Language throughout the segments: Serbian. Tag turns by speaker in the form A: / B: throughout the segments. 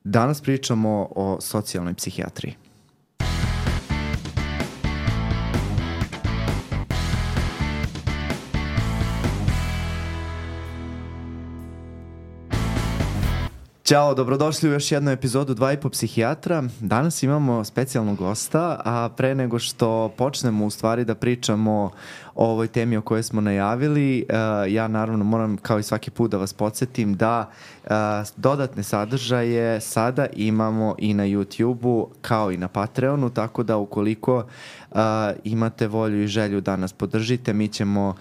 A: Danas pričamo o socijalnoj psihijatriji. Ćao, dobrodošli u još jednu epizodu 2,5 psihijatra. Danas imamo specijalnog gosta, a pre nego što počnemo u stvari da pričamo o ovoj temi o kojoj smo najavili, ja naravno moram kao i svaki put da vas podsjetim da dodatne sadržaje sada imamo i na YouTube-u kao i na Patreonu, tako da ukoliko imate volju i želju da nas podržite, mi ćemo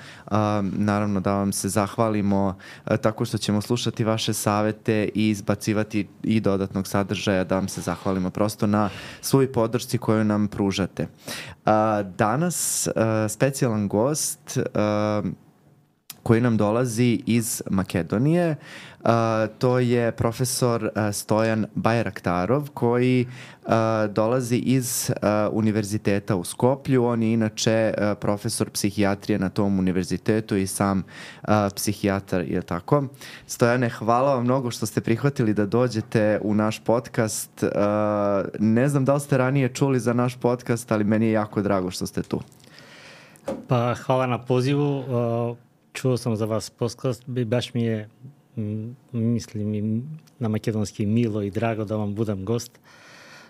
A: naravno da vam se zahvalimo tako što ćemo slušati vaše savete i izbacivati i dodatnog sadržaja, da vam se zahvalimo prosto na svoj podršci koju nam pružate. Danas specijalan gost koji nam dolazi iz Makedonije. To je profesor Stojan Bajraktarov koji dolazi iz univerziteta u Skoplju. On je inače profesor psihijatrije na tom univerzitetu i sam psihijatar, je tako? Stojane, hvala vam mnogo što ste prihvatili da dođete u naš podcast. Ne znam da li ste ranije čuli za naš podcast, ali meni je jako drago što ste tu.
B: Pa hvala na pozivu. Čuo sam za vas podcast i baš mi je, mislim i na makedonski, milo i drago da vam budem gost,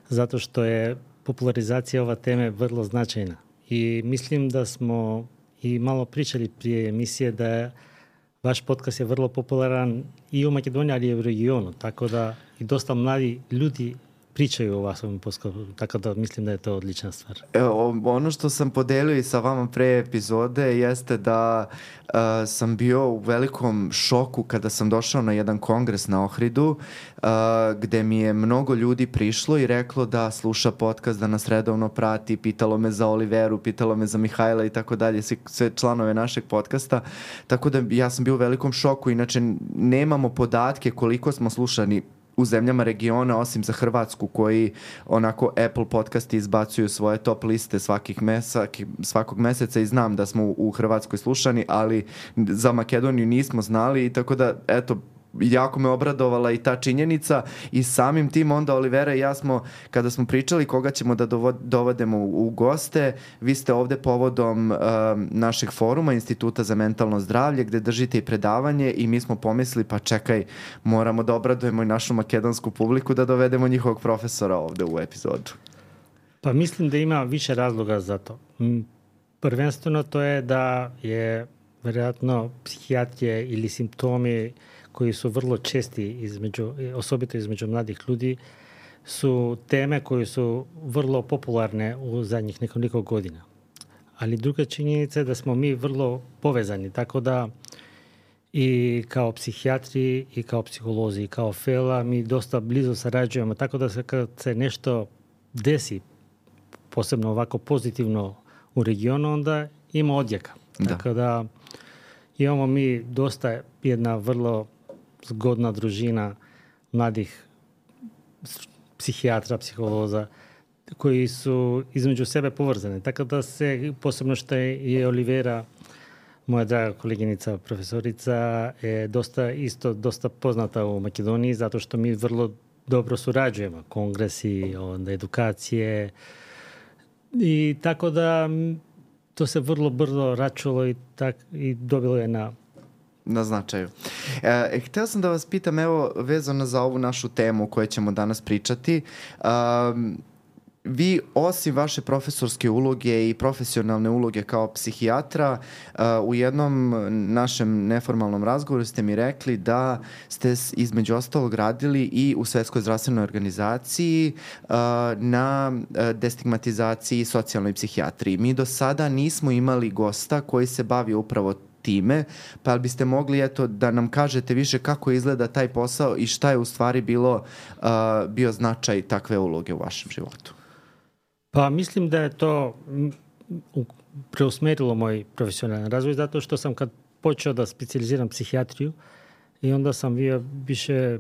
B: zato što je popularizacija ova teme vrlo značajna. I mislim da smo i malo pričali prije emisije da je vaš podcast je vrlo popularan i u Makedoniji, ali i u regionu, tako da i dosta mladi ljudi pričaju o vašem podcastu, tako da mislim da je to odlična stvar.
A: Ono što sam podelio i sa vama pre epizode jeste da sam bio u velikom šoku kada sam došao na jedan kongres na Ohridu, gde mi je mnogo ljudi prišlo i reklo da sluša podcast, da nas redovno prati, pitalo me za Oliveru, pitalo me za Mihajla i tako dalje, sve članove našeg podcasta, tako da ja sam bio u velikom šoku. Inače nemamo podatke koliko smo slušani u zemljama regiona, osim za Hrvatsku, koji onako Apple podcasti izbacuju svoje top liste svakog meseca i znam da smo u Hrvatskoj slušani, ali za Makedoniju nismo znali, i tako da, eto, jako me obradovala i ta činjenica. I samim tim onda Olivera i ja smo, kada smo pričali koga ćemo da dovodemo u goste, vi ste ovde povodom našeg foruma Instituta za mentalno zdravlje, gde držite i predavanje, i mi smo pomislili, pa čekaj, moramo da obradujemo i našu makedonsku publiku, da dovedemo njihovog profesora ovde u epizodu.
B: Pa mislim da ima više razloga za to. Prvenstveno to je da je vjerojatno psihijatrije ili simptomi koji su vrlo česti osobito između mladih ljudi, su teme koje su vrlo popularne u zadnjih nekoliko godina. Ali druga činjenica je da smo mi vrlo povezani, tako da i kao psihijatri i kao psiholozi i kao FELA mi dosta blizu sarađujemo, tako da kad se nešto desi, posebno ovako pozitivno u regionu, onda ima odjeka. Tako da imamo mi dosta jedna vrlo zgodna družina mladih psihijatra, psiholoza koji su između sebe povezani. Tako da se, posebno što je Olivera, moja draga koleginica, profesorica, je dosta poznata u Makedoniji, zato što mi vrlo dobro surađujemo. Kongresi, onda edukacije. I tako da to se vrlo brzo račulo i dobilo je
A: na značaju. Hteo sam da vas pitam, evo, vezano za ovu našu temu o kojoj ćemo danas pričati. Vi, osim vaše profesorske uloge i profesionalne uloge kao psihijatra, u jednom našem neformalnom razgovoru ste mi rekli da ste između ostalog radili i u Svetskoj zdravstvenoj organizaciji na destigmatizaciji socijalnoj psihijatriji. Mi do sada nismo imali gosta koji se bavi upravo time, pa biste mogli da nam kažete više kako izgleda taj posao i šta je u stvari bio značaj takve uloge u vašem životu?
B: Pa mislim da je to preusmerilo moj profesionalni razvoj, zato što sam kad počeo da specijaliziram psihijatriju i onda sam bio više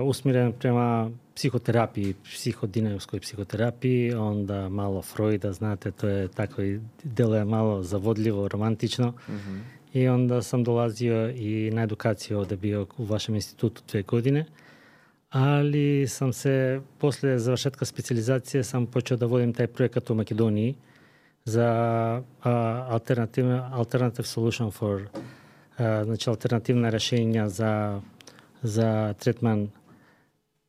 B: usmjeren prema psihoterapiji, psihodinamskoj psihoterapiji, onda malo Freuda, znate, to je tako i deluje malo zavodljivo, romantično. Mm-hmm. I onda sam dolazio i na edukaciju ovdje bio u vašem institutu 2 godine. ali sam se posle završetka specijalizacije sam počeo da vodim taj projekat u Makedoniji za alternative solution for znači alternativna rešenja za tretman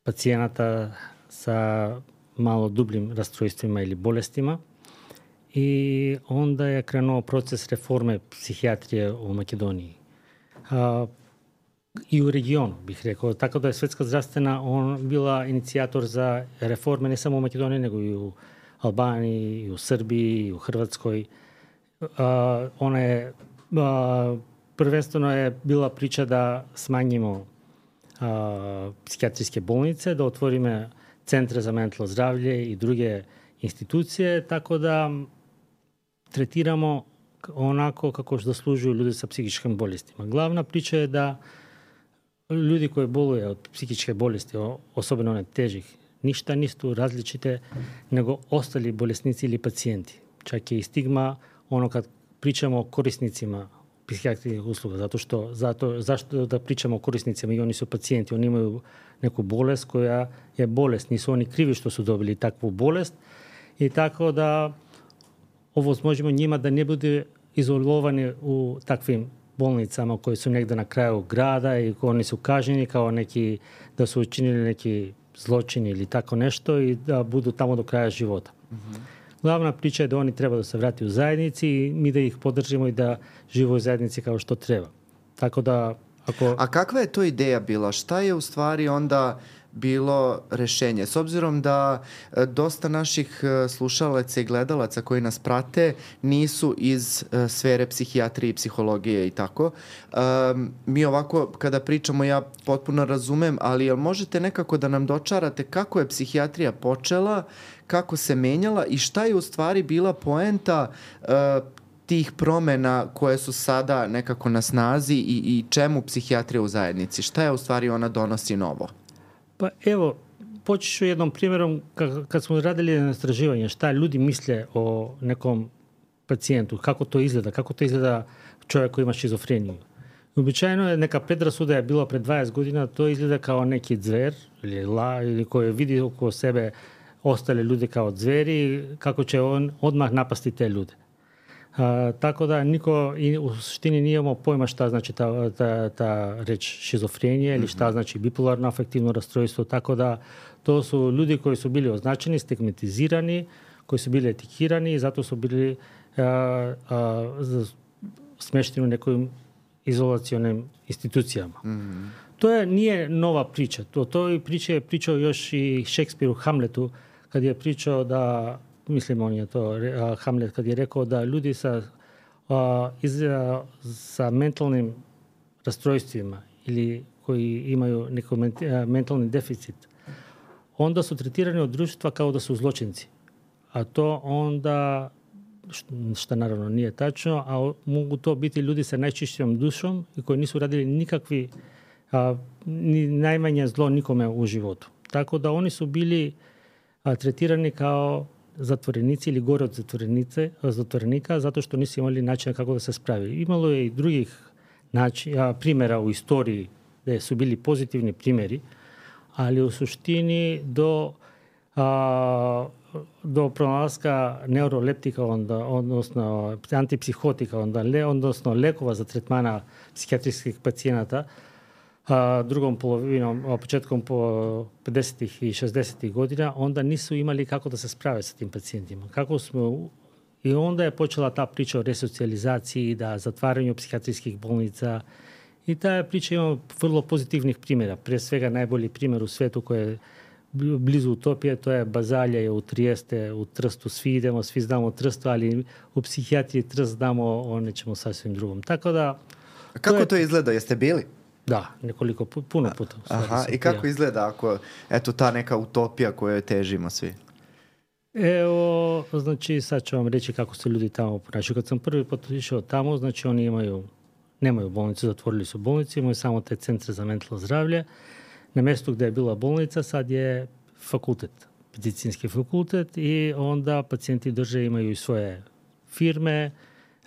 B: pacijenata sa malo dubljim rastrojstvima ili bolestima. I onda je krenuo proces reforme psihijatrije u Makedoniji. I u regionu, bih rekao. Tako da je Svetska zdravstvena bila inicijator za reforme ne samo u Makedoniji, nego i u Albaniji, i u Srbiji, i u Hrvatskoj. Ona je, prvenstveno je bila priča da smanjimo psihijatrijske bolnice, da otvorimo centre za mentalno zdravlje i druge institucije, tako da tretiramo onako kako zaslužuju ljudi sa psihičkim bolestima. Glavna priča je da ljudi koji boluju od psihičke bolesti, osobno one težih, ništa nisu različite nego ostali bolesnici ili pacijenti. Čak je i stigma ono kad pričamo o korisnicima psihijatrijskih usluga, zašto da pričamo o korisnicima i oni su pacijenti, oni imaju neku bolest koja je bolest, nisu oni krivi što su dobili takvu bolest i tako da ovo možemo njima da ne bude izolovani u takvim bolnicama koji su negde na kraju grada i oni su kažnjeni kao neki, da su učinili neki zločin ili tako nešto i da budu tamo do kraja života. Mm-hmm. Glavna priča je da oni treba da se vrati u zajednici i mi da ih podržimo i da žive u zajednici kao što treba. Tako da
A: A kakva je to ideja bila? Šta je u stvari onda bilo rešenje? S obzirom da dosta naših slušalaca i gledalaca koji nas prate nisu iz sfere psihijatrije i psihologije i tako. Mi ovako kada pričamo ja potpuno razumem, ali jel možete nekako da nam dočarate kako je psihijatrija počela, kako se menjala i šta je u stvari bila poenta tih promena koje su sada nekako na snazi i čemu psihijatrija u zajednici? Šta je u stvari ona donosi novo?
B: Pa evo, počet ću jednom primjerom kad smo radili na istraživanje šta ljudi misle o nekom pacijentu, kako to izgleda čovjek koji ima šizofreniju. Običajno je neka predrasuda je bila pred 20 godina, to izgleda kao neki zver ili koji vidi oko sebe ostale ljude kao zveri, kako će on odmah napasti te ljude. Tako da niko u suštini nije imao pojma šta znači ta reč šizofrenija ili šta znači bipolarno afektivno rastrojstvo, tako da to su ljudi koji su bili označeni, stigmatizirani, koji su bili etikirani i zato su bili smešteni u nekim izolacionim institucijama. Mm-hmm. To nije nova priča. To priče je pričao još i Šekspir u Hamletu kad je pričao da mislim on je to, Hamlet, kad je rekao da ljudi sa mentalnim rastrojstvima ili koji imaju neki mentalni deficit, onda su tretirani od društva kao da su zločinci. A to onda, što naravno nije tačno, a mogu to biti ljudi sa najčišćom dušom i koji nisu radili nikakvi, ni najmanje zlo nikome u životu. Tako da oni su bili tretirani kao zatvorenici ili gore od zatvorenika zato što nisu imali načina kako da se spravi. Imalo je i drugih primjera u istoriji gde su bili pozitivni primjeri, ali u suštini do pronalaska neuroleptika, odnosno antipsihotika, odnosno lekova za tretmana psihijatrijskih pacijenata, drugom polovinom, početkom po 50. i 60. godina, onda nisu imali kako da se sprave sa tim pacijentima. I onda je počela ta priča o resocijalizaciji, da zatvaranju psihijatrijskih bolnica i ta priča ima vrlo pozitivnih primjera. Pre svega najbolji primjer u svetu koji je blizu utopije, to je Bazalja u Trijeste, u Trstu. Svi znamo Trstu, ali u psihijatriji Trst znamo o nečemu sasvim drugom. Tako da...
A: A kako to izgleda? Jeste bili?
B: Da, puno puta.
A: Aha, i kako izgleda ako, eto, ta neka utopija kojoj težimo svi?
B: Evo, znači, sad ću vam reći kako se ljudi tamo ponašaju. Kad sam prvi put išao tamo, znači, oni nemaju bolnicu, zatvorili su bolnicu, imaju samo te centre za mentalno zdravlje. Na mjestu gdje je bila bolnica, sad je fakultet, medicinski fakultet i onda pacijenti imaju i svoje firme,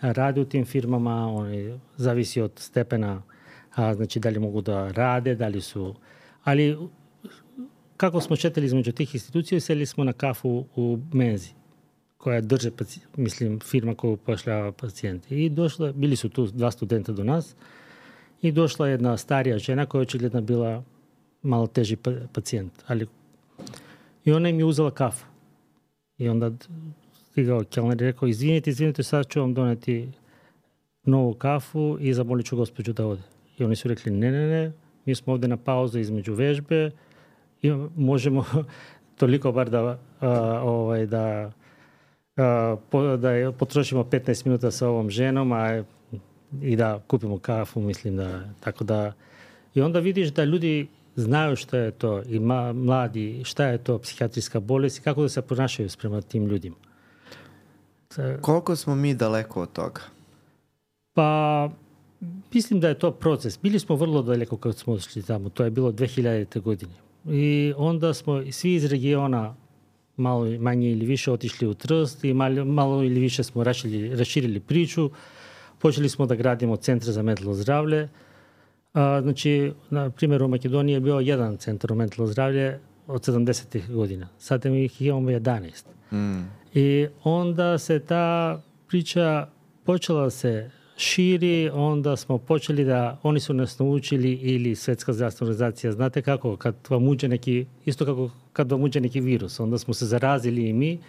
B: rade u tim firmama, oni zavisi od stepena, znači da li mogu da rade, da li su... Ali kako smo šetali između tih institucija, seli smo na kafu u Menzi, koja drže, firma koju upošljava pacijente. I bili su tu 2 studenta do nas i došla jedna starija žena koja je očigledno bila malo teži pacijent. I ona im je uzela kafu. I onda stigao kelner i rekao, izvinite, sad ću vam doneti novu kafu i zamolit ću gospođu da ode. I oni su rekli, ne, mi smo ovdje na pauzu između vežbe i možemo toliko bar da potrošimo 15 minuta sa ovom ženom i da kupimo kafu, tako da. I onda vidiš da ljudi znaju šta je to i mladi, šta je to psihijatrijska bolest i kako da se ponašaju prema tim ljudima.
A: Koliko smo mi daleko od toga?
B: Pa, mislim da je to proces. Bili smo vrlo daleko kad smo otišli tamo. To je bilo 2000. godine. I onda smo svi iz regiona malo manje ili više otišli u Trst i malo ili više smo raširili priču. Počeli smo da gradimo centre za mentalno zdravlje. Znači, na primjer, u Makedoniji je bio jedan centar u mentalno zdravlje od 70. godina. Sada ih imamo 11. I onda se ta priča počela se širi, onda smo počeli oni su nas naučili ili Svjetska zdravstvena organizacija, znate kako, kad vam uđe isto kako kad vam uđe neki virus, onda smo se zarazili i mi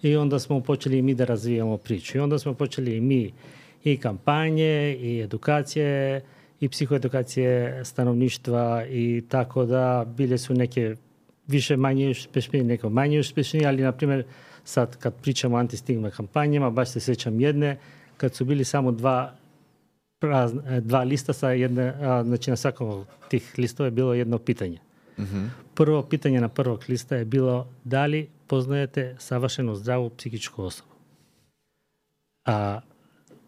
B: i onda smo počeli i mi da razvijamo priču. I onda smo počeli i mi i kampanje, i edukacije, i psihoedukacije stanovništva i tako da bile su neke više manje uspješnije, neko manje uspješnije, ali na primjer sad kad pričamo o antistigma kampanjama, baš se sjećam jedne, kad su bili samo dva lista sa jedne, znači na svakom od tih listova je bilo jedno pitanje. Mm-hmm. Prvo pitanje na prvog lista je bilo da li poznajete savršenu zdravu psihičku osobu. A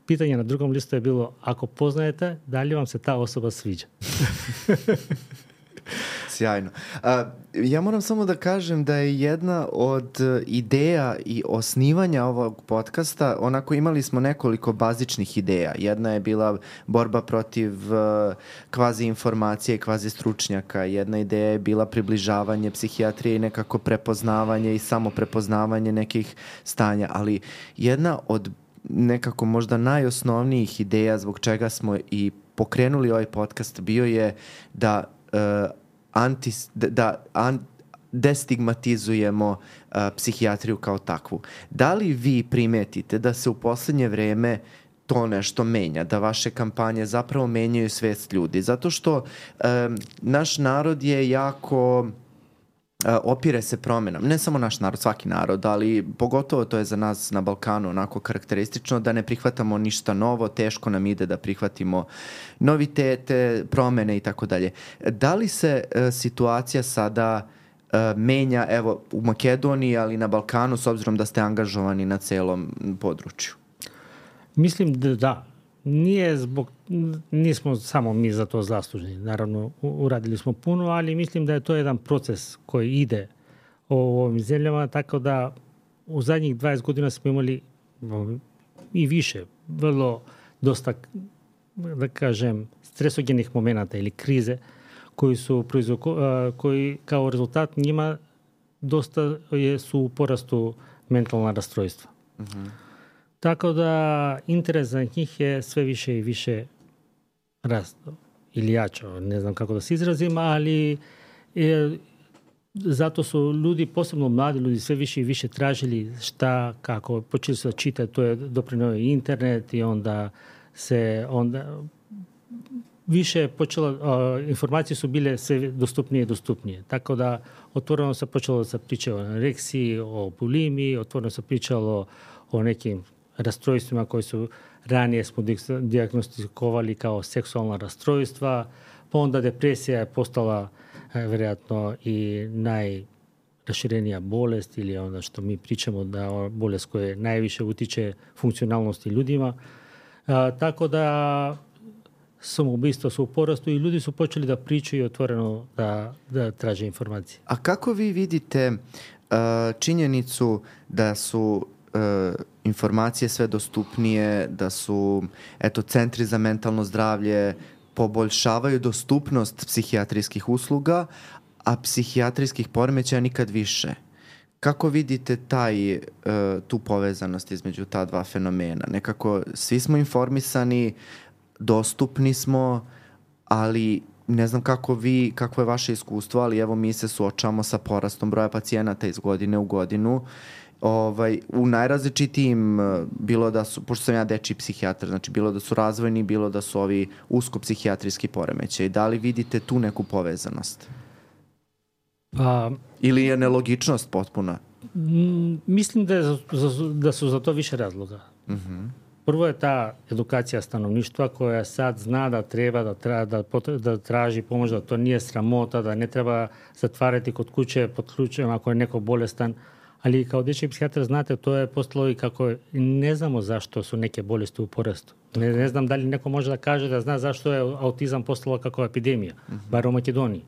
B: pitanje na drugom listu je bilo ako poznajete, da li vam se ta osoba sviđa?
A: Sjajno. Ja moram samo da kažem da je jedna od ideja i osnivanja ovog podcasta, onako imali smo nekoliko bazičnih ideja. Jedna je bila borba protiv kvazi informacije i kvazi stručnjaka. Jedna ideja je bila približavanje psihijatrije i nekako prepoznavanje i samo prepoznavanje nekih stanja. Ali jedna od nekako možda najosnovnijih ideja zbog čega smo i pokrenuli ovaj podcast bio je da destigmatizujemo psihijatriju kao takvu. Da li vi primetite da se u posljednje vrijeme to nešto menja, da vaše kampanje zapravo menjaju svest ljudi? Zato što naš narod je jako opire se promjenama. Ne samo naš narod, svaki narod, ali pogotovo to je za nas na Balkanu onako karakteristično da ne prihvatamo ništa novo, teško nam ide da prihvatimo novitete, promjene i tako dalje. Da li se situacija sada menja, evo, u Makedoniji, ali na Balkanu, s obzirom da ste angažovani na celom području?
B: Mislim da. Nismo samo mi za to zaslužni. Naravno, uradili smo puno, ali mislim da je to jedan proces koji ide u ovim zemljama, tako da u zadnjih 20 godina smo imali i više, vrlo dosta, da kažem, stresogenih momenata ili krize koji kao rezultat njima dosta su u porastu mentalna rastrojstva. Mm-hmm. Tako da interes za njih je sve više i više rastao ili jačao, ne znam kako da se izrazim, ali zato su ljudi, posebno mladi ljudi, sve više i više tražili šta, kako, počeli su da čitati, to je doprinio i internet i onda više informacije su bile sve dostupnije i dostupnije. Tako da otvoreno se počelo da priča o anoreksiji, o bulimiji, otvoreno se pričalo o nekim rastrojstvima koji su ranije smo dijagnostikovali kao seksualna rastrojstva, pa onda depresija je postala vjerojatno i najraširenija bolest ili onda što mi pričamo da bolest koja najviše utiče funkcionalnosti ljudima. Tako da samoubistva su u porastu i ljudi su počeli da pričaju otvoreno da traže informacije.
A: A kako vi vidite činjenicu da su informacije sve dostupnije, da su centri za mentalno zdravlje poboljšavaju dostupnost psihijatrijskih usluga, a psihijatrijskih poremećaja nikad više. Kako vidite tu povezanost između ta dva fenomena? Nekako svi smo informisani, dostupni smo, ali ne znam kako je vaše iskustvo, ali evo mi se suočavamo sa porastom broja pacijenata iz godine u godinu. U najrazličitijim, bilo da su, pošto sam ja dečiji psihijatar, znači bilo da su razvojni, bilo da su ovi usko psihijatrijski poremećaji. Da li vidite tu neku povezanost? Ili je nelogičnost potpuna?
B: Mislim da su za to više razloga. Prvo je ta edukacija stanovništva koja sad zna da treba da traži pomoć, da to nije sramota, da ne treba zatvarati kod kuće pod ključem ako je neko bolestan. Ali kao dječji psihijatar, znate, to je postalo i kako ne znamo zašto su neke bolesti u porastu. Ne znam da li neko može da kaže da zna zašto je autizam postalo kako epidemija, bar u Makedoniji.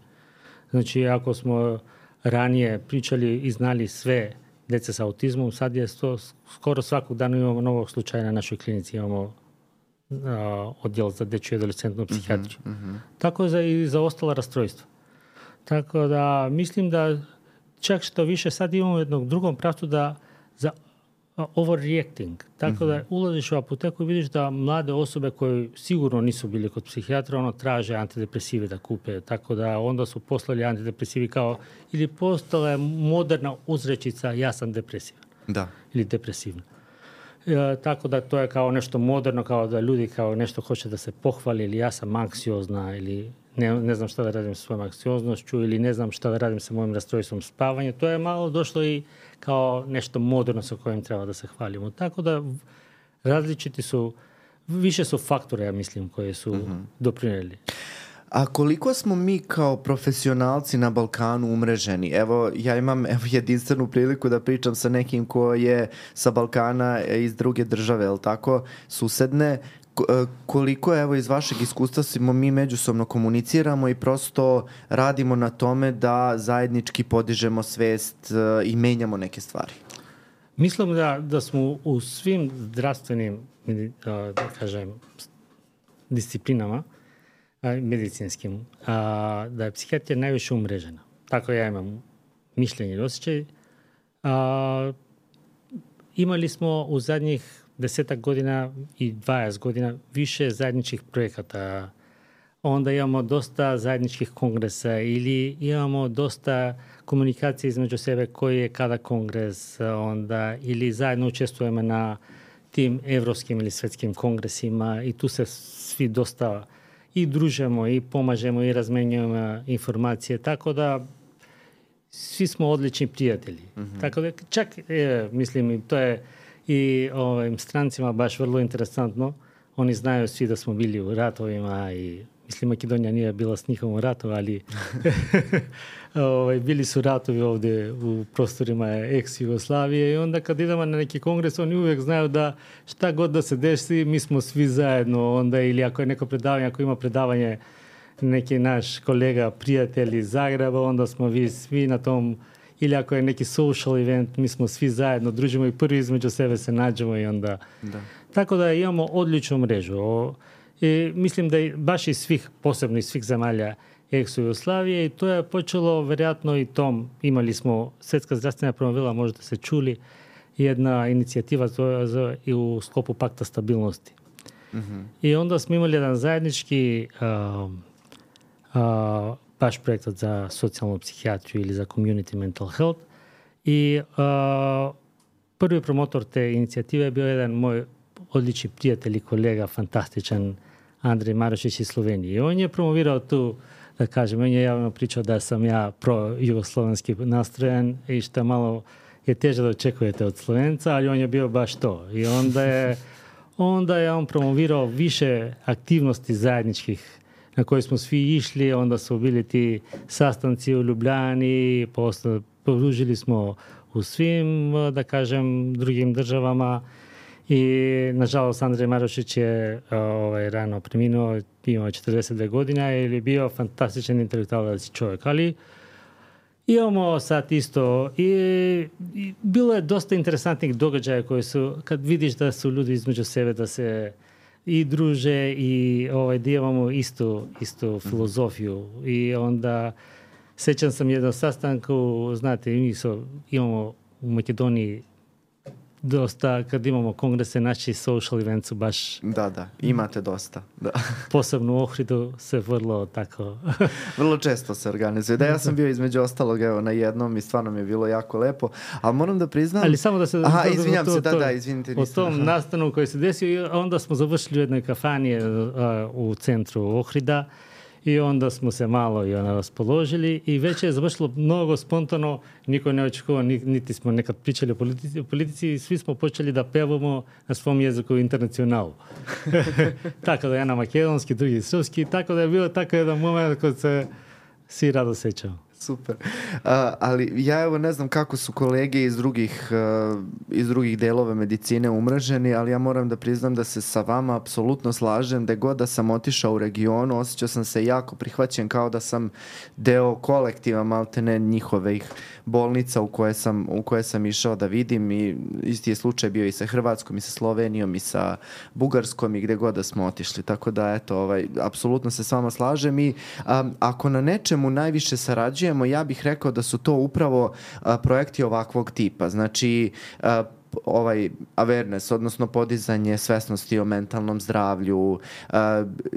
B: Znači, ako smo ranije pričali i znali sve djece sa autizmom, sad je to skoro svakog dana imamo novog slučaja na našoj klinici, imamo odjel za dječju i adolescentnu psihijatriju. Tako i za ostala rastrojstva. Tako da mislim da čak što više sad imamo jednog drugom pravcu za overreacting. Tako da ulaziš u apoteku i vidiš da mlade osobe koje sigurno nisu bili kod psihijatra, traže antidepresive da kupe. Tako da onda su poslali antidepresivi ili postala je moderna uzrečica ja sam depresivan.
A: Da.
B: Ili depresivna. Tako da to je kao nešto moderno, kao da ljudi kao nešto hoće da se pohvali ili ja sam anksiozna ili ne znam šta da radim sa svojom anksioznošću ili ne znam šta da radim sa mojim rastrojstvom spavanja. To je malo došlo i kao nešto moderno sa kojim treba da se hvalimo. Tako da različiti su, više su faktore, ja mislim, koje su doprinijeli.
A: A koliko smo mi kao profesionalci na Balkanu umreženi? Evo, ja imam jedinstvenu priliku da pričam sa nekim ko je sa Balkana iz druge države, jel tako, susedne. Koliko, evo, iz vašeg iskustva smo mi međusobno komuniciramo i prosto radimo na tome da zajednički podižemo svest i menjamo neke stvari?
B: Mislim da smo u svim zdravstvenim, da kažem, disciplinama, medicinskim, da je psihijatrija najviše umrežena. Tako ja imam mišljenje i osjećaj. Imali smo u zadnjih 10 godina i 20 godina više zajedničkih projekata. Onda imamo dosta zajedničkih kongresa ili imamo dosta komunikacije između sebe koji je kada kongres, onda ili zajedno učestvujemo na tim evropskim ili svjetskim kongresima i tu se svi dosta i družimo i pomažemo i razmenjujemo informacije, tako da svi smo odlični prijatelji. Tako da čak, mislim, to je i ovim strancima baš vrlo interesantno. Oni znaju svi da smo bili u ratovima i mislim Makedonija nije bila s njihovom ratu, ali bili su ratovi ovdje u prostorima ex-Jugoslavije i onda kad idemo na neki kongres oni uvijek znaju da šta god da se desi mi smo svi zajedno onda ili ako je neko predavanje, ako ima predavanje neki naš kolega, prijatelj iz Zagreba, onda smo vi svi na tom ili ako je neki social event, mi smo svi zajedno, družimo i prvi između sebe se nađemo i onda... Da. Tako da imamo odličnu mrežu. I mislim da je baš iz svih, posebno iz svih zemalja ex-Jugoslavije i to je počelo vjerojatno i tom. Imali smo Svjetska zdravstvena promovila, možda se čuli, jedna inicijativa i u sklopu pakta stabilnosti. I onda smo imali jedan zajednički baš projekt za socijalnu psihijatriju ili za community mental health. I prvi promotor te inicijative je bio jedan moj odlični prijatelj i kolega, fantastičan Andrej Marošić iz Slovenije. I on je promovirao tu, da kažem, on je javno pričao da sam ja pro-jugoslovenski nastrojen i što malo je teže da očekujete od Slovenca, ali on je bio baš to. I onda je on promovirao više aktivnosti zajedničkih na koje smo svi išli, onda su bili ti sastanci u Ljubljani, podružili smo u svim, da kažem, drugim državama i nažalost Andrej Marošić je rano preminuo, imao 42 godine ili bio fantastičan intelektualac čovjek, ali imamo sad isto i bilo je dosta interesantnih događaja koji su, kad vidiš da su ljudi između sebe da se i druže i da imamo istu filozofiju i onda Sećam sam jednom sastanku, znate, imamo u Makedoniji dosta, kad imamo kongrese, naši social events su baš...
A: Da, imate dosta. Da.
B: Posebno u Ohridu se vrlo tako...
A: Vrlo često se organizuje. Da, ja sam bio između ostalog na jednom i stvarno mi je bilo jako lepo. Ali moram da priznam...
B: Ali samo da se...
A: izvinjam se, izvinite.
B: O tom nastanu koji se desio, onda smo završili u jednoj kafani u centru Ohrida i onda smo se malo raspoložili i već je završilo mnogo spontano, niko ne očekivao, niti smo nekad pričali o politici i svi smo počeli da pevamo na svom jeziku internacionalu. Tako da ja na makedonski, drugi srpski, tako da je bilo tako jedan moment kad se svi rado sećamo.
A: Super. Ali ja evo ne znam kako su kolege iz drugih delova medicine umreženi, ali ja moram da priznam da se sa vama apsolutno slažem, da god da sam otišao u regionu, osjećao sam se jako prihvaćen kao da sam deo kolektiva maltene njihovih bolnica u koje sam išao da vidim i isti je slučaj bio i sa Hrvatskom i sa Slovenijom i sa Bugarskom i gde god da smo otišli. Tako da eto, apsolutno se s vama slažem i ako na nečemu najviše sarađujemo, ja bih rekao da su to upravo projekti ovakvog tipa. Znači, awareness, odnosno podizanje svesnosti o mentalnom zdravlju,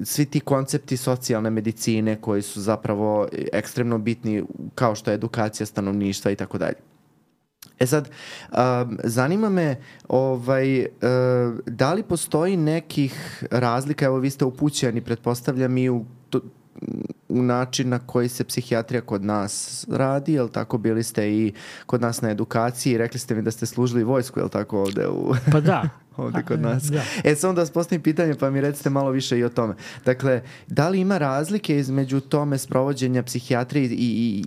A: svi ti koncepti socijalne medicine koji su zapravo ekstremno bitni, kao što je edukacija stanovništva i tako dalje. Sad, zanima me da li postoji nekih razlika, evo vi ste upućeni, pretpostavljam i u način na koji se psihijatrija kod nas radi, jel tako, bili ste i kod nas na edukaciji, rekli ste mi da ste služili vojsku, jel tako, ovde
B: Pa da.
A: ovde kod nas.
B: Da.
A: Samo da vas postavim pitanje, pa mi recite malo više i o tome. Dakle, da li ima razlike između tome sprovođenja psihijatrije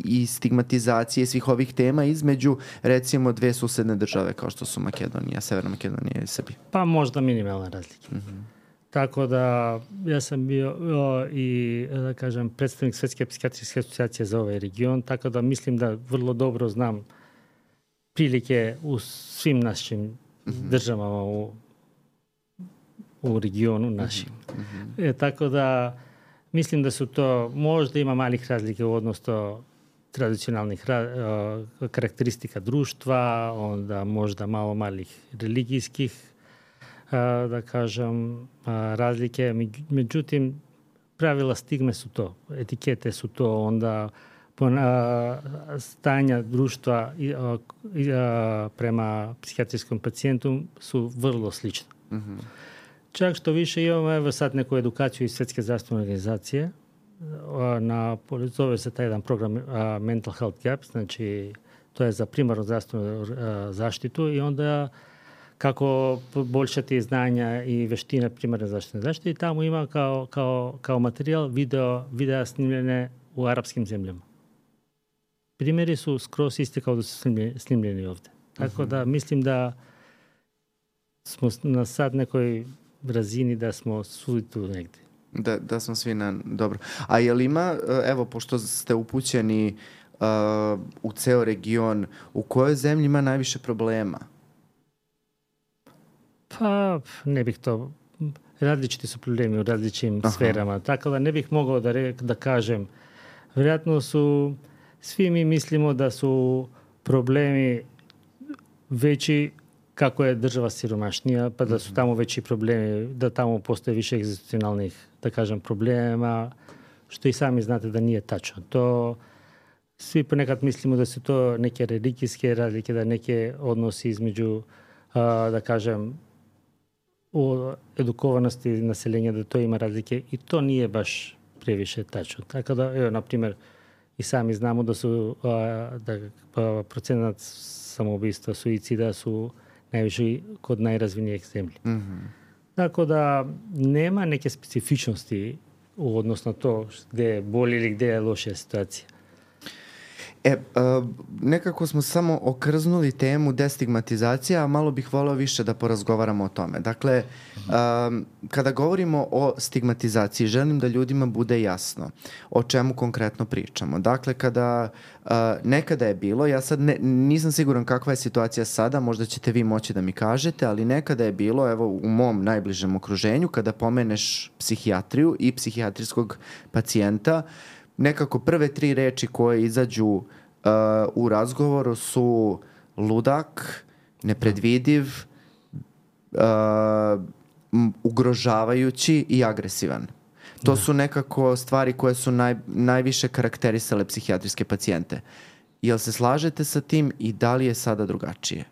A: i stigmatizacije svih ovih tema između, recimo, dve susedne države kao što su Makedonija, Severna Makedonija i Srbija?
B: Pa možda minimalne razlike. Tako da ja sam bio i, da kažem, predstavnik Svetske psihijatrijske asocijacije za ovaj region, tako da mislim da vrlo dobro znam prilike u svim našim državama u regionu našim. Tako da mislim da su to, možda ima malih razlike u odnosu tradicionalnih karakteristika društva, onda možda malo malih religijskih, da kažem, razlike. Međutim, pravila stigme su to, etikete su to, onda stanja društva prema psihijatrijskom pacijentu su vrlo slične. Čak što više imamo, evo sad neku edukaciju iz Svjetske zdravstvene organizacije, zove se taj jedan program Mental Health Gap, znači to je za primarnu zdravstvenu zaštitu i onda kako poboljšati znanja i veštine primarne zdravstvene zaštite i tamo ima kao materijal videa snimljene u arapskim zemljama. Primjeri su skroz isti kao da su snimljeni ovdje. Tako da mislim da smo na sad nekoj razini da smo svi tu negdje.
A: Da smo svi dobro. A je li ima, evo, pošto ste upućeni u ceo region, u kojoj zemlji ima najviše problema?
B: Pa ne bih to... Različiti su problemi u različitim sferama. Tako da ne bih mogao da kažem. Vjerojatno su... Svi mi mislimo da su problemi veći kako je država siromašnija, pa da su tamo veći problemi, da tamo postoje više egzistencionalnih, da kažem, problema, što i sami znate da nije tačno. To svi ponekad mislimo da su to neke religijske razlike, da neke odnosi između, da kažem, u edukovanosti naseljenja, da to ima razlike i to nije baš previše tačno. Tako da, evo, na primjer, i sami znamo da su procenat samoubistva, suicida su najviše kod najrazvinijih zemlji. Tako da nema neke specifičnosti u odnosno to gde je bolje ili gde je loša situacija.
A: Nekako smo samo okrznuli temu destigmatizacija, a malo bih voleo više da porazgovaramo o tome. Dakle, kada govorimo o stigmatizaciji, želim da ljudima bude jasno o čemu konkretno pričamo. Dakle, kada nekada je bilo, ja sad nisam siguran kakva je situacija sada, možda ćete vi moći da mi kažete, ali nekada je bilo, evo, u mom najbližem okruženju, kada pomeneš psihijatriju i psihijatrijskog pacijenta, nekako prve 3 reči koje izađu u razgovoru su ludak, nepredvidiv, ugrožavajući i agresivan. To su nekako stvari koje su najviše karakterisale psihijatrijske pacijente. Jel se slažete sa tim i da li je sada drugačije?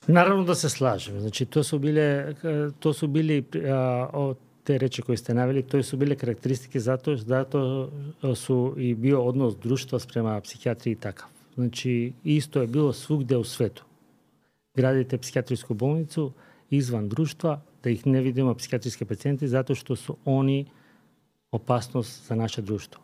B: Naravno da se slažem. Znači, to su bili te reči koje ste naveli, to su bile karakteristike zato su i bio odnos društva prema psihijatriji takav. Znači, isto je bilo svugde u svetu. Gradite psihijatrijsku bolnicu izvan društva, da ih ne vidimo psihijatrijske pacijente zato što su oni opasnost za naše društvo.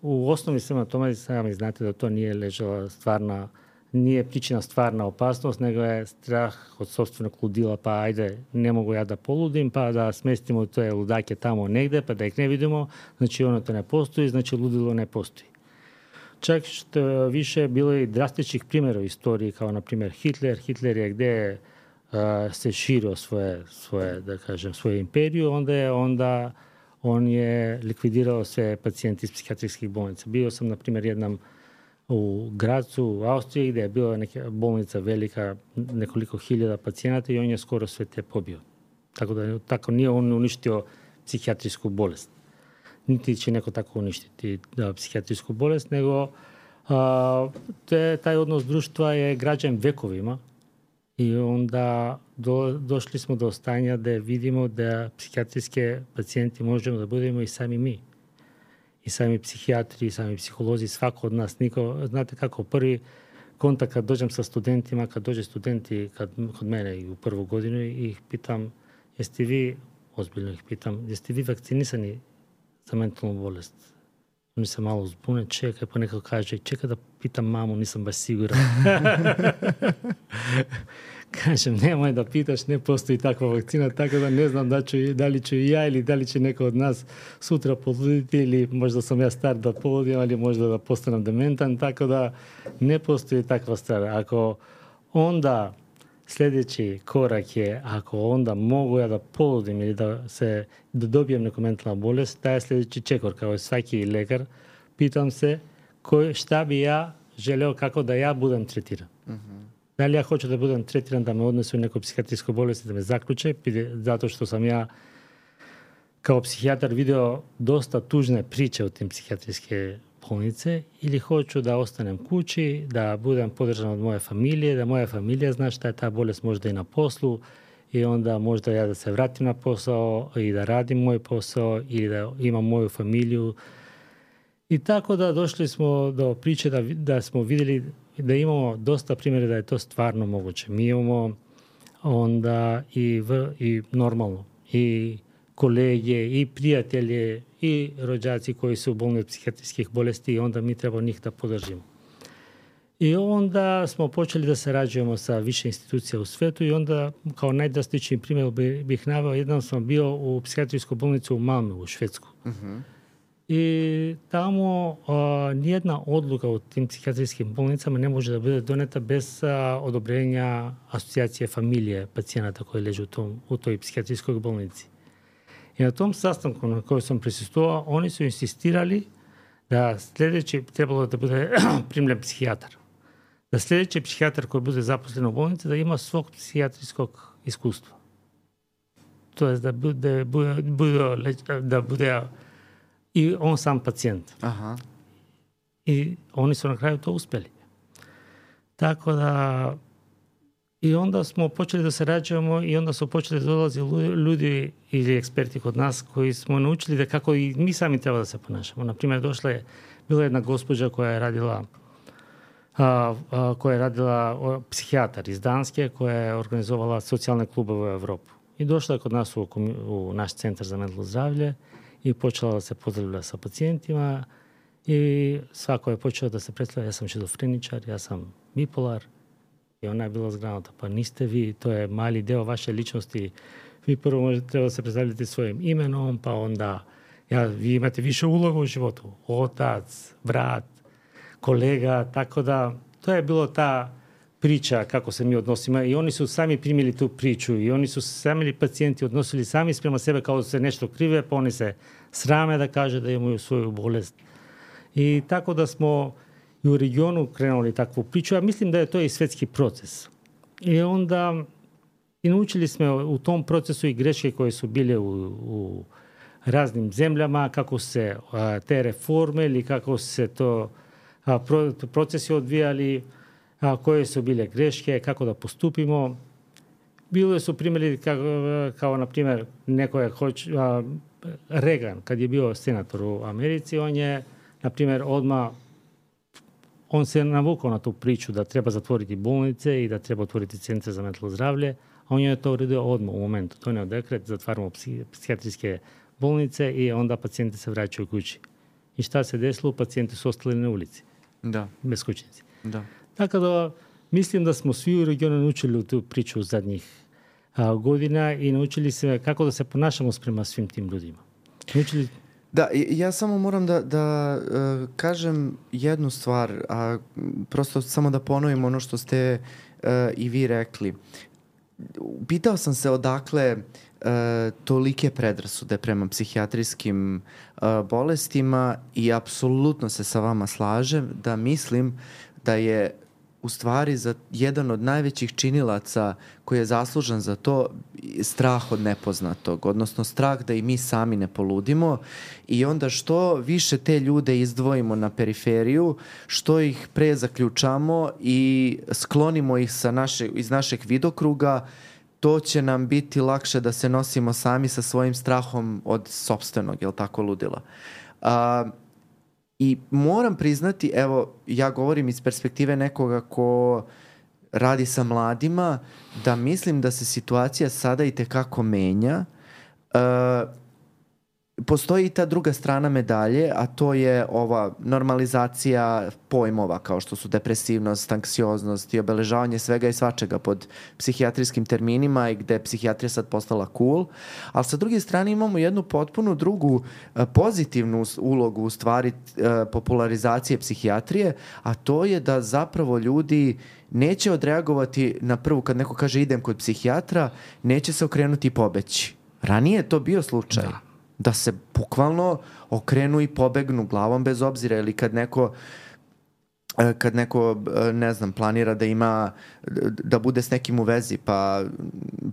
B: U osnovi svema tome sami znate da to nije ležala nije pričina stvarna opasnost, nego je strah od sopstvenog ludila, pa ajde, ne mogu ja da poludim, pa da smestimo te ludake tamo negde, pa da ih ne vidimo, znači ono to ne postoji, znači ludilo ne postoji. Čak što više bilo i drastičnih primjera u istoriji, kao na primjer Hitler. Hitler je gde se širio svoju imperiju, onda on je likvidirao sve pacijente iz psihijatrijskih bolnica. Bio sam, na primjer, jednom u Gracu, u Austriji, gdje je bila neka bolnica velika, nekoliko hiljada pacijenata i on je skoro sve te pobio. Tako nije on uništio psihijatrijsku bolest. Niti će neko tako uništiti psihijatrijsku bolest, nego taj odnos društva je građen vekovima i onda došli smo do stanja da vidimo da psihijatrijske pacijenti možemo da budemo i sami mi. I sami psihijatri, i sami psiholozi, svako od nas. Znate kako, prvi kontakt kad dođem sa studentima, kad dođe studenti kod mene i u prvu godinu i ih pitam, ozbiljno ih pitam, jeste vi vakcinisani za mentalnu bolest? Oni se malo zbune, čekaj, pa neko kaže, čekaj da pitam mamu, nisam baš siguran. Kažem, nemoj da pitaš, ne postoji takva vakcina, tako da ne znam da li ću i ja ili da li će neko od nas sutra poluditi ili možda sam ja star da poludim, ali možda da postanem dementan, tako da ne postoji takva stvar. Ako onda sljedeći korak je, ako onda mogu ja da poludim ili da dobijem neku mentalnu bolest, taj je sljedeći čekor, kao i svaki lekar, pitam se šta bi ja želeo kako da ja budem tretiran. Uh-huh. Da li ja hoću da budem tretiran, da me odnesu u neku psihijatrijsku bolest, da me zaključe, zato što sam ja kao psihijatar video dosta tužne priče o tim psihijatrijske bolnice, ili hoću da ostanem kući, da budem podržan od moje familije, da moja familija zna šta je ta bolest, možda i na poslu, i onda možda ja da se vratim na posao i da radim moj posao ili da imam moju familiju. I tako da došli smo do priče da smo vidjeli da imamo dosta primjera da je to stvarno moguće. Mi imamo onda i normalno i kolege, i prijatelje, i rođaci koji su bolni od psihijatrijskih bolesti i onda mi treba njih da podržimo. I onda smo počeli da sarađujemo sa više institucija u svetu i onda kao najdrastičniji primjer bih naveo, jednom sam bio u psihijatrijsku bolnicu u Malmö, u Švedsku. Uh-huh. I tamo nijedna odluka u tim psihijatrijskim bolnicama ne može da bude doneta bez odobrenja asocijacije familije pacijenata koji leže u toj psihijatrijskoj bolnici. I na tom sastanku na kojem sam prisustvovao, oni su insistirali da sljedeći trebalo da bude primljen psihijatar. Da sljedeći psihijatar koji bude zaposlen u bolnici da ima svog psihijatrijskog iskustva. To je da bude i on sam pacijent. Aha. I oni su na kraju to uspjeli. Tako da i onda smo počeli da sarađujemo i onda su počeli da dolazi ljudi ili eksperti kod nas koji smo naučili da kako i mi sami treba da se ponašamo. Naprimjer, bila jedna gospođa koja je radila psihijatar iz Danske, koja je organizovala socijalne klubove u Evropu. I došla je kod nas u naš centar za mentalno zdravlje i počela da se pozdravlja sa pacijentima i svako je počeo da se predstavlja, ja sam šizofreničar, ja sam bipolar. I ona je bila zgranuta, pa niste vi, to je mali deo vaše ličnosti. Vi prvo treba se predstavljati svojim imenom, pa onda vi imate više uloga u životu. Otac, brat, kolega, tako da to je bilo ta priča kako se mi odnosimo i oni su sami primili tu priču i oni su sami pacijenti odnosili sami prema sebe kao da se nešto krive, pa oni se srame da kaže da imaju svoju bolest. I tako da smo i u regionu krenuli takvu priču, a mislim da je to i svetski proces. I onda i naučili smo u tom procesu i greške koje su bile u raznim zemljama, kako se te reforme ili kako se to procesi odvijali, koje su bile greške, kako da postupimo. Bilo su primjeri kao na primjer neko je Reagan, kad je bio senator u Americi, on je na primjer odmah on se navukao na tu priču da treba zatvoriti bolnice i da treba otvoriti centre za mentalno zdravlje, a on je to uredio odmah u momentu. Donio dekret, zatvaramo psihijatrijske bolnice i onda pacijenti se vraćaju kući. I šta se desilo? Pacijenti su ostali na ulici.
A: Da.
B: Beskućnici.
A: Da.
B: Tako da mislim da smo svi u regionu naučili tu priču zadnjih godina i naučili se kako da se ponašamo prema svim tim ljudima. Naučili...
A: Da, ja samo moram da kažem jednu stvar, a prosto samo da ponovim ono što ste i vi rekli. Pitao sam se odakle tolike predrasude prema psihijatrijskim bolestima i apsolutno se sa vama slažem da mislim da je u stvari za jedan od najvećih činilaca koji je zaslužan za to strah od nepoznatog, odnosno strah da i mi sami ne poludimo i onda što više te ljude izdvojimo na periferiju, što ih pre zaključamo i sklonimo ih iz našeg vidokruga, to će nam biti lakše da se nosimo sami sa svojim strahom od sopstvenog, jel tako, ludila. I moram priznati, evo, ja govorim iz perspektive nekoga ko radi sa mladima, da mislim da se situacija sada i tekako menja. Postoji i ta druga strana medalje, a to je ova normalizacija pojmova kao što su depresivnost, anksioznost i obeležavanje svega i svačega pod psihijatrijskim terminima i gde je psihijatrija sad postala cool. Ali sa druge strane imamo jednu potpuno drugu pozitivnu ulogu u stvari popularizacije psihijatrije, a to je da zapravo ljudi neće odreagovati na prvu kad neko kaže idem kod psihijatra, neće se okrenuti i pobeći. Ranije je to bio slučaj. Da se bukvalno okrenu i pobegnu glavom bez obzira ili kad neko ne znam, planira da bude s nekim u vezi pa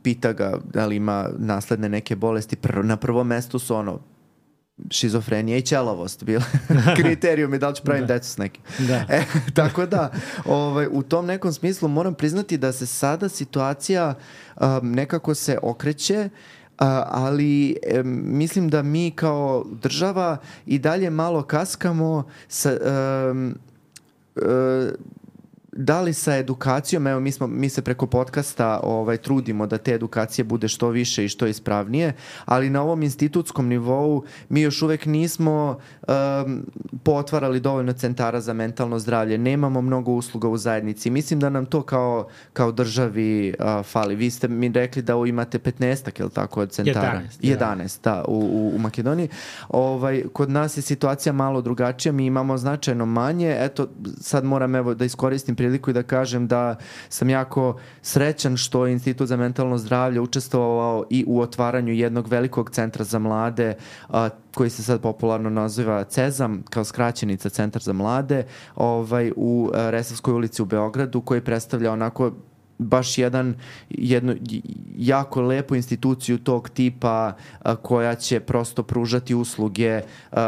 A: pita ga da li ima nasledne neke bolesti, na prvom mestu su šizofrenija i ćelavost bile kriterijumi da li ću pravim decu s nekim. Tako da u tom nekom smislu moram priznati da se sada situacija nekako se okreće, ali mislim da mi kao država i dalje malo kaskamo da li sa edukacijom, evo mi se preko podcasta trudimo da te edukacije bude što više i što ispravnije, ali na ovom institutskom nivou mi još uvek nismo potvarali dovoljno centara za mentalno zdravlje, nemamo mnogo usluga u zajednici. Mislim da nam to kao državi fali. Vi ste mi rekli da imate 15-ak, je li tako, od centara? 11, da, u Makedoniji. Kod nas je situacija malo drugačija, mi imamo značajno manje. Eto, sad moram da iskoristim priliku i da kažem da sam jako srećan što je Institut za mentalno zdravlje učestvovao i u otvaranju jednog velikog centra za mlade koji se sad popularno naziva CEZAM, kao skraćenica Centar za mlade, u Resavskoj ulici u Beogradu, koji predstavlja onako baš jednu jako lepu instituciju tog tipa koja će prosto pružati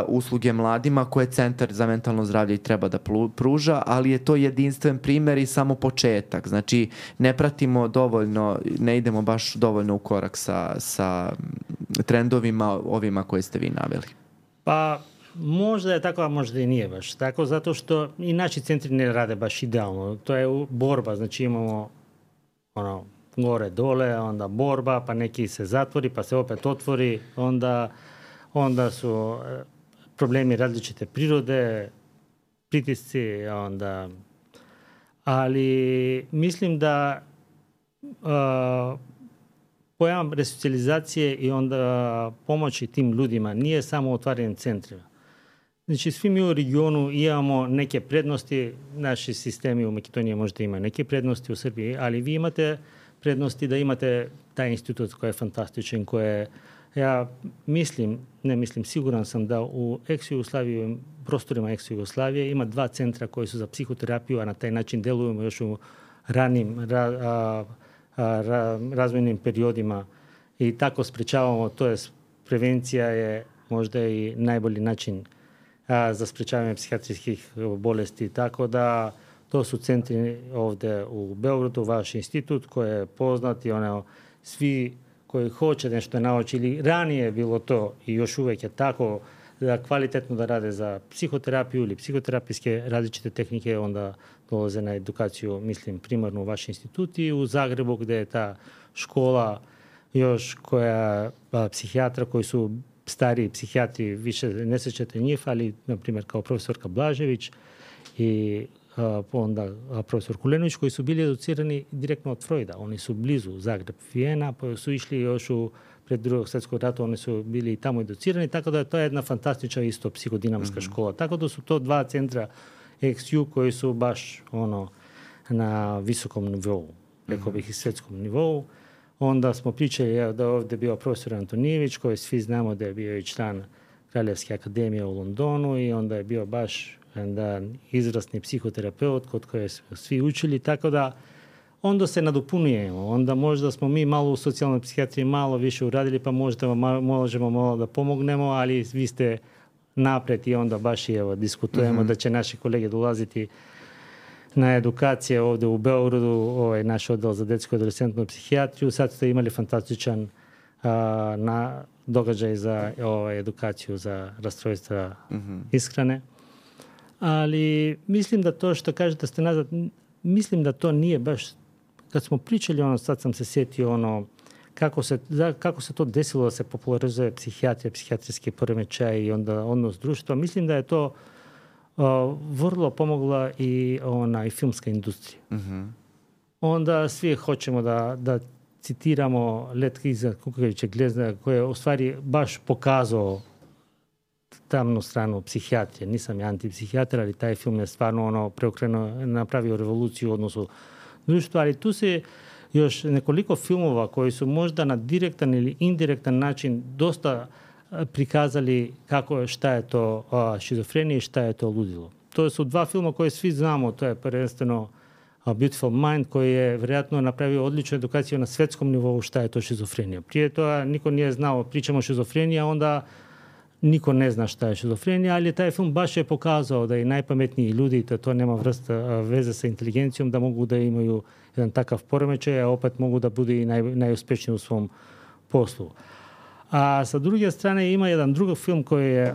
A: usluge mladima koje Centar za mentalno zdravlje i treba da pruža, ali je to jedinstven primer i samo početak. Znači, ne pratimo dovoljno, ne idemo baš dovoljno u korak sa trendovima ovima koje ste vi naveli.
B: Pa, možda je tako, a možda i nije baš tako, zato što i naši centri ne rade baš idealno. To je borba, znači imamo gore dole, onda borba, pa neki se zatvori, pa se opet otvori, onda su problemi različite prirode, pritisci, ali mislim da pojam resocijalizacije i onda pomoći tim ljudima nije samo otvaranje centrima, Znači, svi mi u regionu imamo neke prednosti, naši sistemi u Makedoniji možda imaju neke prednosti u Srbiji, ali vi imate prednosti da imate taj institut koji je fantastičan, ja siguran sam da u ex-Jugoslaviji, prostorima ex-Jugoslavije ima 2 centra koji su za psihoterapiju, a na taj način delujemo još u ranim razvojnim periodima i tako sprečavamo, to je prevencija je možda i najbolji način za sprečavanje psihijatrijskih bolesti. Tako da to su centri ovdje u Beogradu, vaš institut koji je poznat i svi koji hoće nešto nauči ili ranije je bilo to i još uvijek je tako da kvalitetno da rade za psihoterapiju ili psihoterapijske različite tehnike, onda dolaze na edukaciju, mislim, primarno u vaš institut i u Zagrebu gdje je ta škola još koja psihijatra koji su stariji psihijatri, više ne sjećate njih, ali na primjer kao profesorka Blažević i onda profesor Kulenović koji su bili educirani direktno od Freuda. Oni su blizu Zagreb, Vijena, pa su išli još pred drugog svjetskog rata, oni su bili tamo educirani, tako da to je jedna fantastična isto psihodinamska škola. Tako da su to 2 centra XU koji su baš na visokom nivou, rekao bih i svjetskom nivou. Onda smo pričali da ovdje bio profesor Antonijević, koji svi znamo da je bio i član Kraljevske akademije u Londonu i onda je bio baš izrasni psihoterapeut kod koje smo svi učili, tako da onda se nadopunjujemo. Onda možda smo mi malo u socijalnoj psihijatriji malo više uradili, pa možda možemo malo da pomognemo, ali vi ste napred i onda baš i diskutujemo da će naši kolege dolaziti na edukacije ovdje u Beogradu, naš odjel za detsku i adolescentnu psihijatriju. Sad ste imali fantastičan događaj za edukaciju za rastrojstva ishrane. Ali mislim da to što kažete ste nazad, mislim da to nije baš, kad smo pričali sad sam se sjetio kako se to desilo da se popularizuje psihijatrija, psihijatrijski poremećaj i onda odnos društva. Mislim da je to vrlo pomogla i filmska industrija. Onda svi hoćemo da citiramo Let iza kukavičeg gnezda koji je u stvari baš pokazao tamnu stranu psihijatrije. Nisam ja antipsihijatar, ali taj film je stvarno preokrenuo, napravio revoluciju u odnosu društva, ali tu se još nekoliko filmova koji su možda na direktan ili indirektan način dosta prikazali šta je to šizofrenija i šta je to ludilo. To su 2 filma koje svi znamo, to je prvenstveno Beautiful Mind koji je vjerojatno napravio odličnu edukaciju na svjetskom nivou šta je to šizofrenija. Prije toga niko nije znao, pričamo o šizofreniji, a onda niko ne zna šta je šizofrenija, ali taj film baš je pokazao da i najpametniji ljudi, da to nema veze sa inteligencijom, da mogu da imaju jedan takav poremećaj, a opet mogu da budu i najuspješniji u svom poslu. A sa druge strane ima jedan drugi film koji je,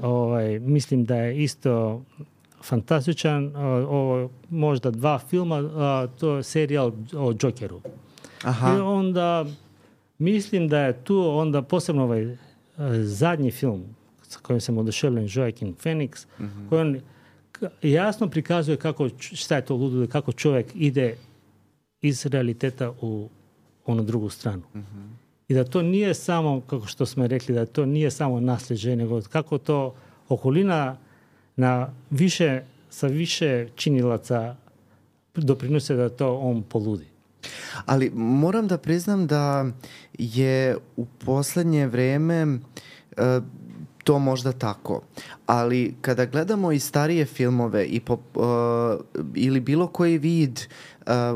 B: mislim da je isto fantastičan, možda 2 filma, to je serijal o Jokeru. Aha. I onda mislim da je tu onda posebno zadnji film sa kojim sam oduševljen, Joaquin Phoenix, koji on jasno prikazuje šta je to ludilo, kako čovjek ide iz realiteta u onu drugu stranu. I da to nije samo, kako što smo rekli, da to nije samo nasljeđe, nego kako to okolina sa više činilaca doprinose da to on poludi.
A: Ali moram da priznam da je u posljednje vrijeme to možda tako. Ali kada gledamo i starije filmove ili bilo koji vid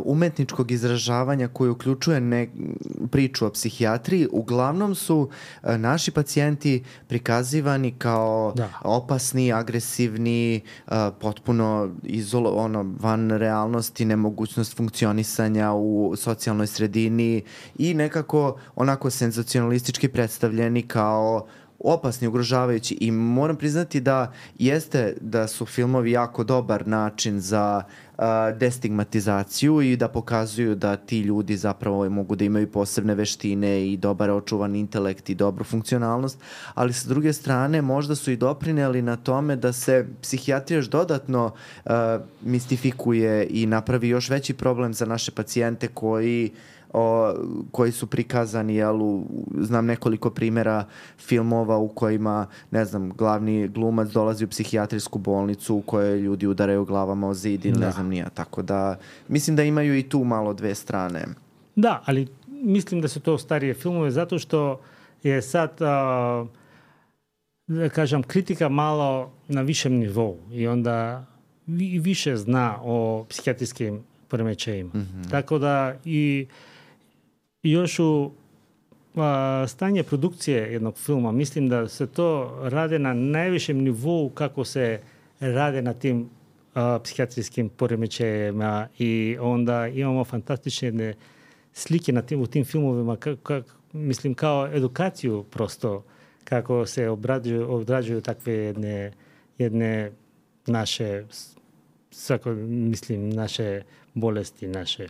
A: umetničkog izražavanja koji uključuje priču o psihijatriji, uglavnom su naši pacijenti prikazivani kao opasni, agresivni, potpuno van realnosti, nemogućnost funkcionisanja u socijalnoj sredini i nekako onako senzacionalistički predstavljeni kao opasni, ugrožavajući, i moram priznati da su filmovi jako dobar način za destigmatizaciju i da pokazuju da ti ljudi zapravo mogu da imaju posebne veštine i dobar očuvan intelekt i dobru funkcionalnost, ali sa druge strane možda su i doprineli na tome da se psihijatrija još dodatno mistifikuje i napravi još veći problem za naše pacijente koji koji su prikazani, znam nekoliko primjera filmova u kojima, ne znam, glavni glumac dolazi u psihijatrijsku bolnicu u kojoj ljudi udaraju glavama o zid ili ne znam nija. Tako da, mislim da imaju i tu malo dve strane.
B: Da, ali mislim da su to starije filmove zato što je sad, da kažem, kritika malo na višem nivou i onda više zna o psihijatrijskim poremećajima. Mm-hmm. Tako da i još u stanje produkcije jednog filma, mislim da se to rade na najvišem nivou kako se rade na tim psihijatrijskim poremećajima i onda imamo fantastične slike u tim filmovima, mislim kao edukaciju prosto, kako se obrađuju takve jedne naše naše bolesti, naše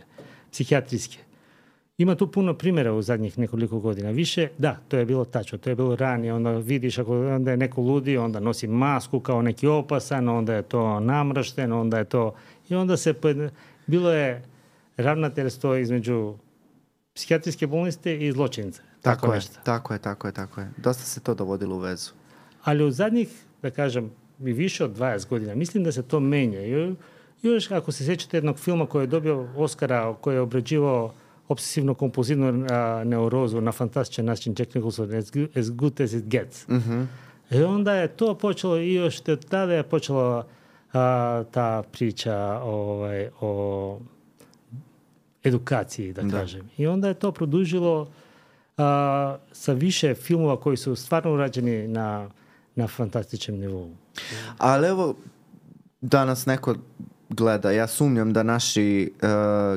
B: psihijatrijske. Ima tu puno primjera u zadnjih nekoliko godina. Više, da, to je bilo tačno, to je bilo ranije. Onda vidiš onda je neko ludi, onda nosi masku kao neki opasan, onda je to namršteno, onda je to... I onda bilo je ravnateljstvo između psihijatrijske bolnice i zločince.
A: Tako je. Dosta se to dovodilo u vezu.
B: Ali u zadnjih, da kažem, i više od 20 godina, mislim da se to menja. Još ako se sjećate jednog filma koji je dobio Oscara, koji je obrađivao obsesivno-kompulzivnu neurozu na fantastičan način, Jack Nicholson, As Good As It Gets. Mm-hmm. I onda je to počelo i još tada je počela ta priča o edukaciji, da kažem. I onda je to produžilo sa više filmova koji su stvarno urađeni na fantastičnom nivou.
A: Ali evo, danas neko gleda, ja sumnjam da naši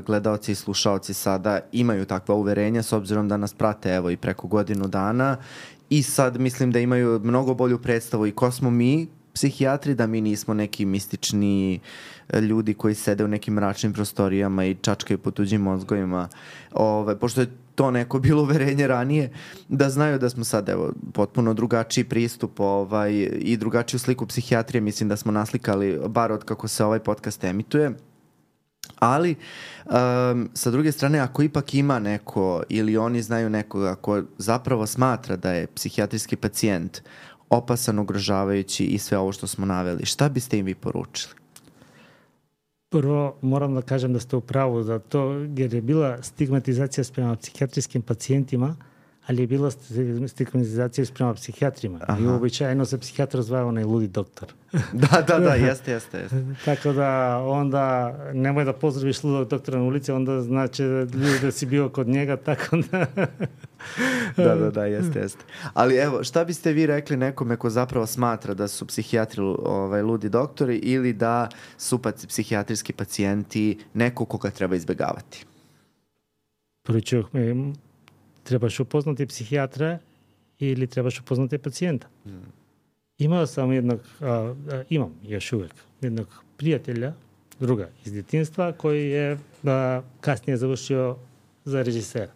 A: gledaoci i slušaoci sada imaju takva uverenja s obzirom da nas prate evo i preko godinu dana i sad mislim da imaju mnogo bolju predstavu i ko smo mi psihijatri, da mi nismo neki mistični ljudi koji sede u nekim mračnim prostorijama i čačkaju po tuđim mozgovima. Pošto je to neko bilo uverenje ranije, da znaju da smo sad evo potpuno drugačiji pristup i drugačiju sliku psihijatrije mislim da smo naslikali bar od kako se ovaj podcast emituje. Ali sa druge strane, ako ipak ima neko ili oni znaju nekoga ko zapravo smatra da je psihijatrijski pacijent opasan, ugrožavajući i sve ovo što smo naveli, šta biste im vi poručili?
B: Prvo, moram da kažem da ste u pravu za to, jer je bila stigmatizacija prema psihijatrijskim pacijentima, ali je bila stigmatizacija prema psihijatrima. Aha. I uobičajeno se psihijatar zvao onaj ludi doktor.
A: Da, jeste.
B: Tako da onda nemoj da pozdraviš ludog doktora na ulici, onda znači da si bio kod njega, tako da...
A: Da, jeste. Ali evo, šta biste vi rekli nekome ko zapravo smatra da su psihijatri ludi doktori ili da su psihijatrijski pacijenti neko koga treba izbjegavati?
B: Poručujem, trebaš upoznati psihijatra ili trebaš upoznati pacijenta. Imao sam imam još uvijek jednog prijatelja, druga iz djetinjstva, koji je kasnije završio za režisera.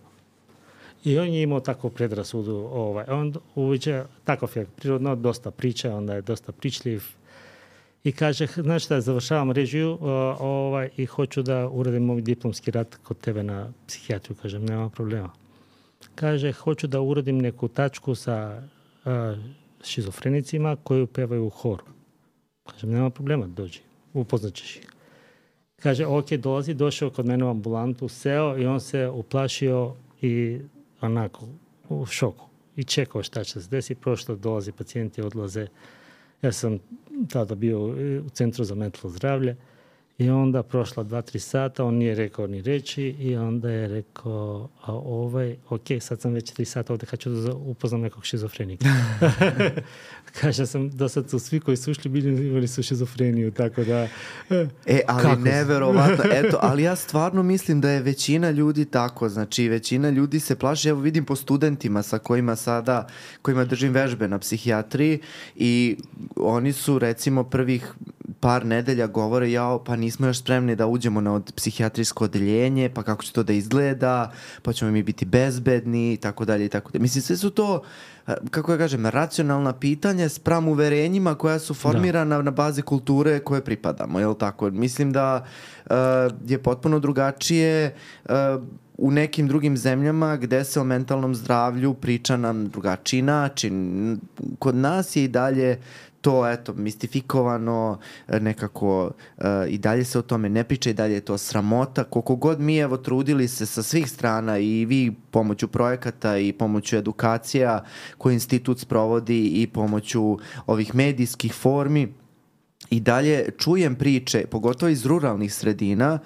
B: I on je imao takvu predrasudu. On uviđa, takav je prirodno, dosta priča, onda je dosta pričljiv. I kaže, znaš šta, završavam režiju i hoću da uradim moj diplomski rad kod tebe na psihijatriju. Kažem, nema problema. Kaže, hoću da uradim neku tačku sa šizofrenicima koji pevaju u horu. Kažem, nema problema, dođi, upoznaćeš ih. Kaže, ok, došao kod mene u ambulantu, seo i on se uplašio i onako u šoku. I čekao šta će se desi, prošlo, dolazi pacijenti, odlaze. Ja sam tada bio u Centru za mentalno zdravlje i onda prošla 2-3 sata, on nije rekao ni reći i onda je rekao, ok, sad sam već 3 sata ovdje, hoću da upoznam nekog šizofrenika. Kaže sam, do sad su svi koji su ušli imali su šizofreniju, tako da...
A: ali neverovatno, ali ja stvarno mislim da je većina ljudi tako, znači većina ljudi se plaši, evo vidim po studentima sa kojima držim vežbe na psihijatriji i oni su recimo prvih par nedelja govore, pa nismo još spremni da uđemo na psihijatrijsko odeljenje, pa kako će to da izgleda, pa ćemo mi biti bezbedni, i tako dalje. Mislim, sve su to, kako ja kažem, racionalna pitanja spram uverenjima koja su formirana na bazi kulture koje pripadamo, je li tako? Mislim da je potpuno drugačije u nekim drugim zemljama gde se o mentalnom zdravlju priča na drugačiji način. Kod nas je i dalje to, mistifikovano, nekako i dalje se o tome ne priča, i dalje je to sramota. Koliko god mi, trudili se sa svih strana i vi pomoću projekata i pomoću edukacija koje institut sprovodi i pomoću ovih medijskih formi, i dalje čujem priče, pogotovo iz ruralnih sredina,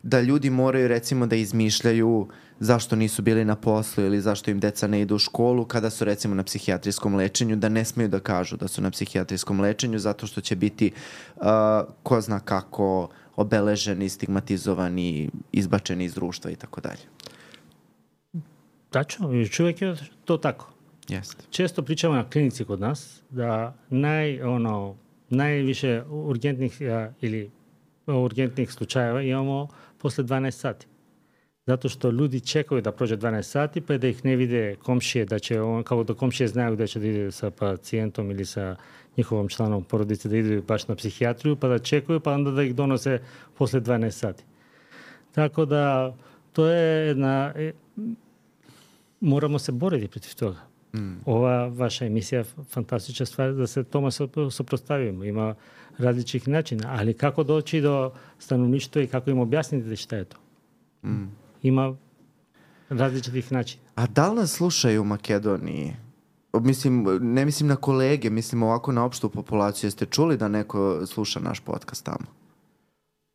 A: da ljudi moraju recimo da izmišljaju zašto nisu bili na poslu ili zašto im deca ne idu u školu kada su recimo na psihijatrijskom lečenju, da ne smeju da kažu da su na psihijatrijskom lečenju zato što će biti ko zna kako obeleženi, stigmatizovani, izbačeni iz društva i tako dalje.
B: Tačno, još uvijek je to tako.
A: Jeste.
B: Često pričamo na klinici kod nas da najviše urgentnih slučajeva imamo posle 12 sati. Zato što ljudi čekaju da prođe 12 sati pa da ih ne vide komšije, kako da komšije znaju da će da ide sa pacijentom ili sa njihovom članom porodice da idu baš na psihijatriju, pa da čekaju, pa onda da ih donose posle 12 sati. Tako da to je moramo se boriti protiv toga. Ova vaša emisija je fantastična stvar da se tome suprotstavimo. Ima različitih načina, ali kako doći do stanovništva i kako im objasniti šta je to? Ima različitih načina.
A: A da li nas slušaju u Makedoniji? Ne mislim na kolege, mislim ovako na opštu populaciju. Jeste čuli da neko sluša naš podcast tamo?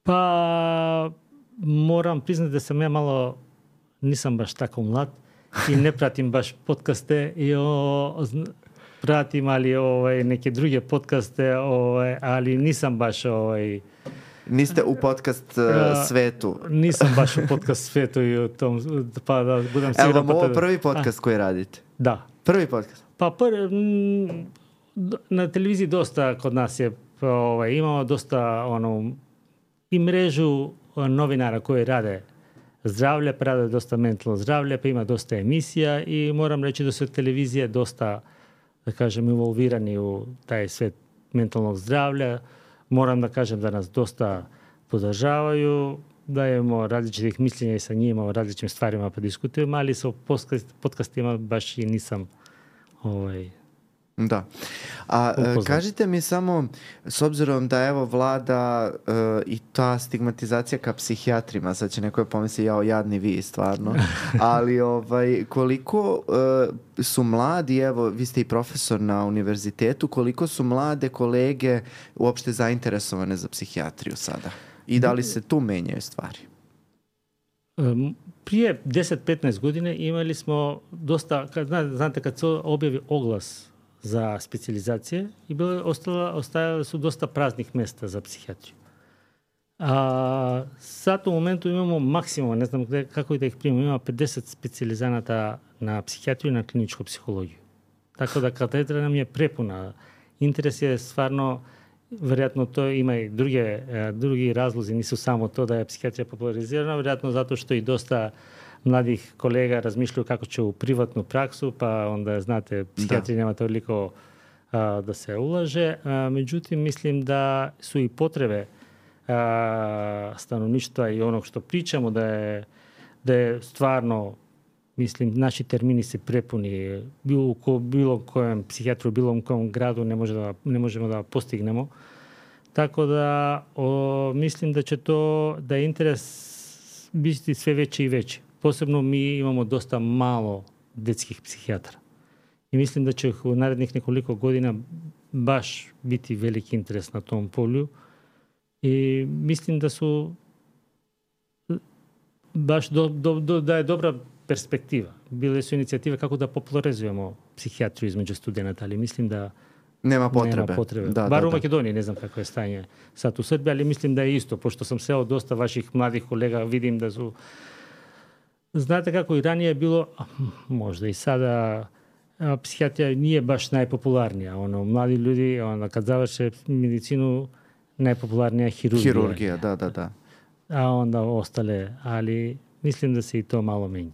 B: Pa moram priznati da sam ja malo, nisam baš tako mlad i ne pratim baš podcaste i pratim ali neke druge podcaste, ali nisam baš
A: Niste u podcast svetu.
B: Nisam baš u podcast svetu i u tom, pa da budem siguran.
A: Evo vam ovo prvi podcast koji radite?
B: Da.
A: Prvi podcast?
B: Pa na televiziji dosta kod nas je, imamo dosta i mrežu novinara koji rade zdravlje, pa rade dosta mentalno zdravlje, pa ima dosta emisija i moram reći da su televizije dosta, da kažem, involvirani u taj svet mentalnog zdravlja. Moram da kažem da nas dosta podržavaju, dajemo različitih mišljenja i sa njima o različitim stvarima pa diskutujemo, ali sa podcastima baš i nisam
A: Da. A kažite mi samo, s obzirom da evo vlada i ta stigmatizacija ka psihijatrima, sad će neko pomisli jadni vi stvarno, ali koliko su mladi, evo vi ste i profesor na univerzitetu, koliko su mlade kolege uopšte zainteresovane za psihijatriju sada? I da li se tu menjaju stvari?
B: Prije 10-15 godine imali smo dosta, znate kad se objavi oglas za specijalizacije i ostajale su dosta praznih mjesta za psihijatriju. A sad u momentu imamo maksimum, ne znam kako da ih primimo, imamo 50 specijalizanata na psihijatriju i na kliničku psihologiju. Tako da katedra nam je prepuna. Interes je stvarno, vjerojatno to ima i drugi razlozi, nisu samo to da je psihijatrija popularizirana, vjerojatno zato što i dosta mladih kolega razmišljaju kako će u privatnu praksu, pa onda, znate, psihijatrija nema toliko da se ulaže. Međutim, mislim da su i potrebe stanovništva i onog što pričamo, da je stvarno, mislim, naši termini se prepuni. Bilo kojem psihijatru, bilo kojem gradu ne možemo da postignemo. Tako da mislim da će da je interes biti sve veći i veći. Posebno mi imamo dosta malo detskih psihijatara. I mislim da će u narednih nekoliko godina baš biti veliki interes na tom polju. I mislim da su baš da je dobra perspektiva. Bile su inicijative kako da popularizujemo psihijatriju između studenata, ali mislim da
A: nema potrebe.
B: Bar u Makedoniji, ne znam kako je stanje sad u Srbiji, ali mislim da je isto, pošto sam sreo dosta vaših mladih kolega, vidim da su... Znate kako i ranije je bilo, možda i sada, psihijatrija nije baš najpopularnija. Mladi ljudi, kad završe medicinu, najpopularnija je hirurgija.
A: Hirurgija, da.
B: A onda ostale, ali mislim da se i to malo menja.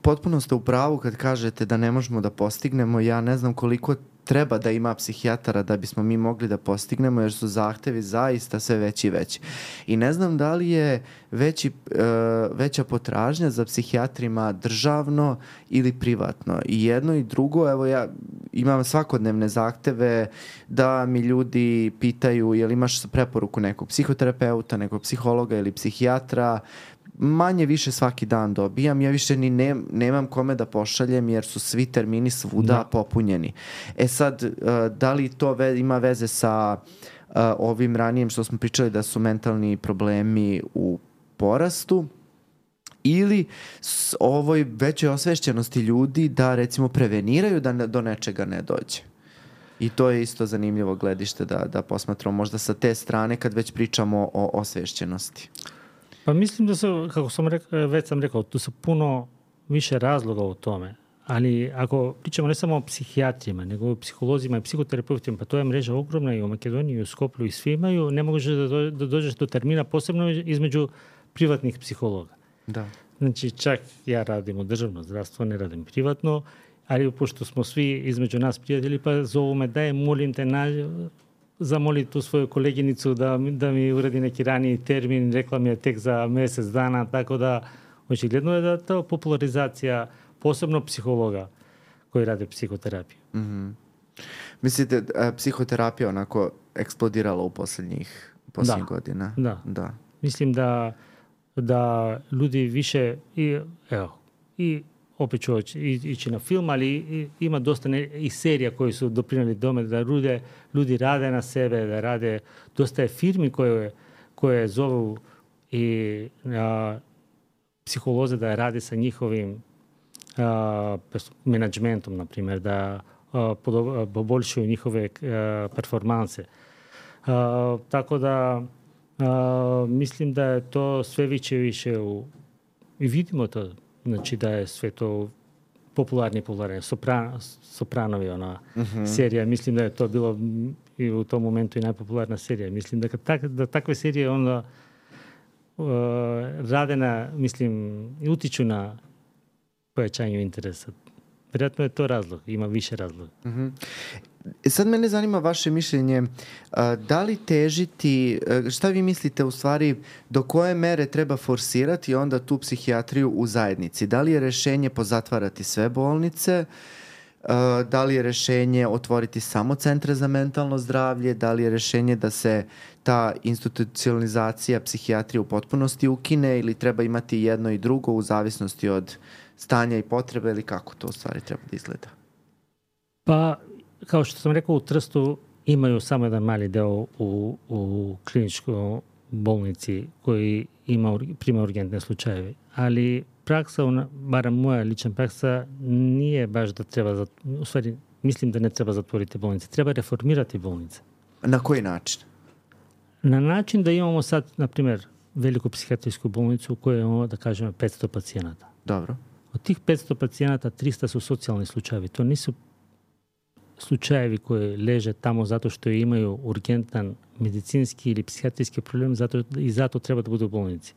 A: Potpuno ste u pravu kad kažete da ne možemo da postignemo. Ja ne znam koliko treba da ima psihijatara da bismo mi mogli da postignemo, jer su zahtevi zaista sve veći i veći. I ne znam da li je veća potražnja za psihijatrima državno ili privatno. I jedno i drugo, evo ja imam svakodnevne zahteve da mi ljudi pitaju jel imaš preporuku nekog psihoterapeuta, nekog psihologa ili psihijatra. Manje više svaki dan dobijam. Ja više ni nemam kome da pošaljem jer su svi termini svuda popunjeni. E sad, da li to ima veze sa ovim ranijem što smo pričali da su mentalni problemi u porastu ili ovoj većoj osvešćenosti ljudi da recimo preveniraju da do nečega ne dođe? I to je isto zanimljivo gledište da posmatramo možda sa te strane kad već pričamo o osvešćenosti.
B: Pa mislim da su, kako već sam rekao, tu su puno više razloga u tome. Ali ako pričamo ne samo o psihijatrima, nego o psiholozima i psihoterapeutima, pa to je mreža ogromna i u Makedoniji, i u Skoplju, i svi imaju, ne možeš da dođeš do termina, posebno između privatnih psihologa.
A: Da.
B: Znači, čak ja radim u državno zdravstvo, ne radim privatno, ali pošto smo svi između nas prijatelji, pa zovu me, daj, molim te, zamoli tu svoju koleginicu da mi uradi neki raniji termin, rekla mi je tek za mjesec dana, tako da očigledno je da ta popularizacija posebno psihologa koji rade psihoterapiju.
A: Mm-hmm. Mislite, psihoterapija onako eksplodirala u posljednjih godina?
B: Da. Mislim da ljudi više i opet ću ići na film, ali ima dosta i serija koji su doprinijeli tome da ljudi rade na sebe, da rade, dosta je firmi koje zovu i psiholoze da rade sa njihovim menadžmentom, na primjer, da poboljšuju njihove performanse. Tako da mislim da je to sve više i vidimo to. Znači da je sve to popularni. Sopranovi, ona serija. Mislim da je to bilo i u tom momentu i najpopularna serija. Mislim da takve serije onda rade i utiču na pojačanju interesa. Vjerojatno je to razlog. Ima više razloga.
A: Mm-hmm. Sad mene zanima vaše mišljenje. Da li težiti, šta vi mislite u stvari, do koje mere treba forsirati onda tu psihijatriju u zajednici? Da li je rješenje pozatvarati sve bolnice? Da li je rješenje otvoriti samo centre za mentalno zdravlje? Da li je rješenje da se ta institucionalizacija psihijatrije u potpunosti ukine ili treba imati jedno i drugo u zavisnosti od stanja i potrebe ili kako to u stvari treba da izgleda?
B: Pa, kao što sam rekao, u Trstu imaju samo jedan mali deo u kliničkoj bolnici koji prima urgentne slučajeve. Ali praksa, barem moja lična praksa, nije baš da treba, u stvari mislim da ne treba zatvoriti bolnice. Treba reformirati bolnice.
A: Na koji način?
B: Na način da imamo sad, na primjer, veliku psihijatrijsku bolnicu u kojoj imamo, da kažemo, 500 pacijenata.
A: Dobro.
B: Od tih 500 pacijenata 300 su socijalni slučajevi. To nisu slučajevi koji leže tamo zato što imaju urgentan medicinski ili psihijatrijski problem i zato treba da budu u bolnici.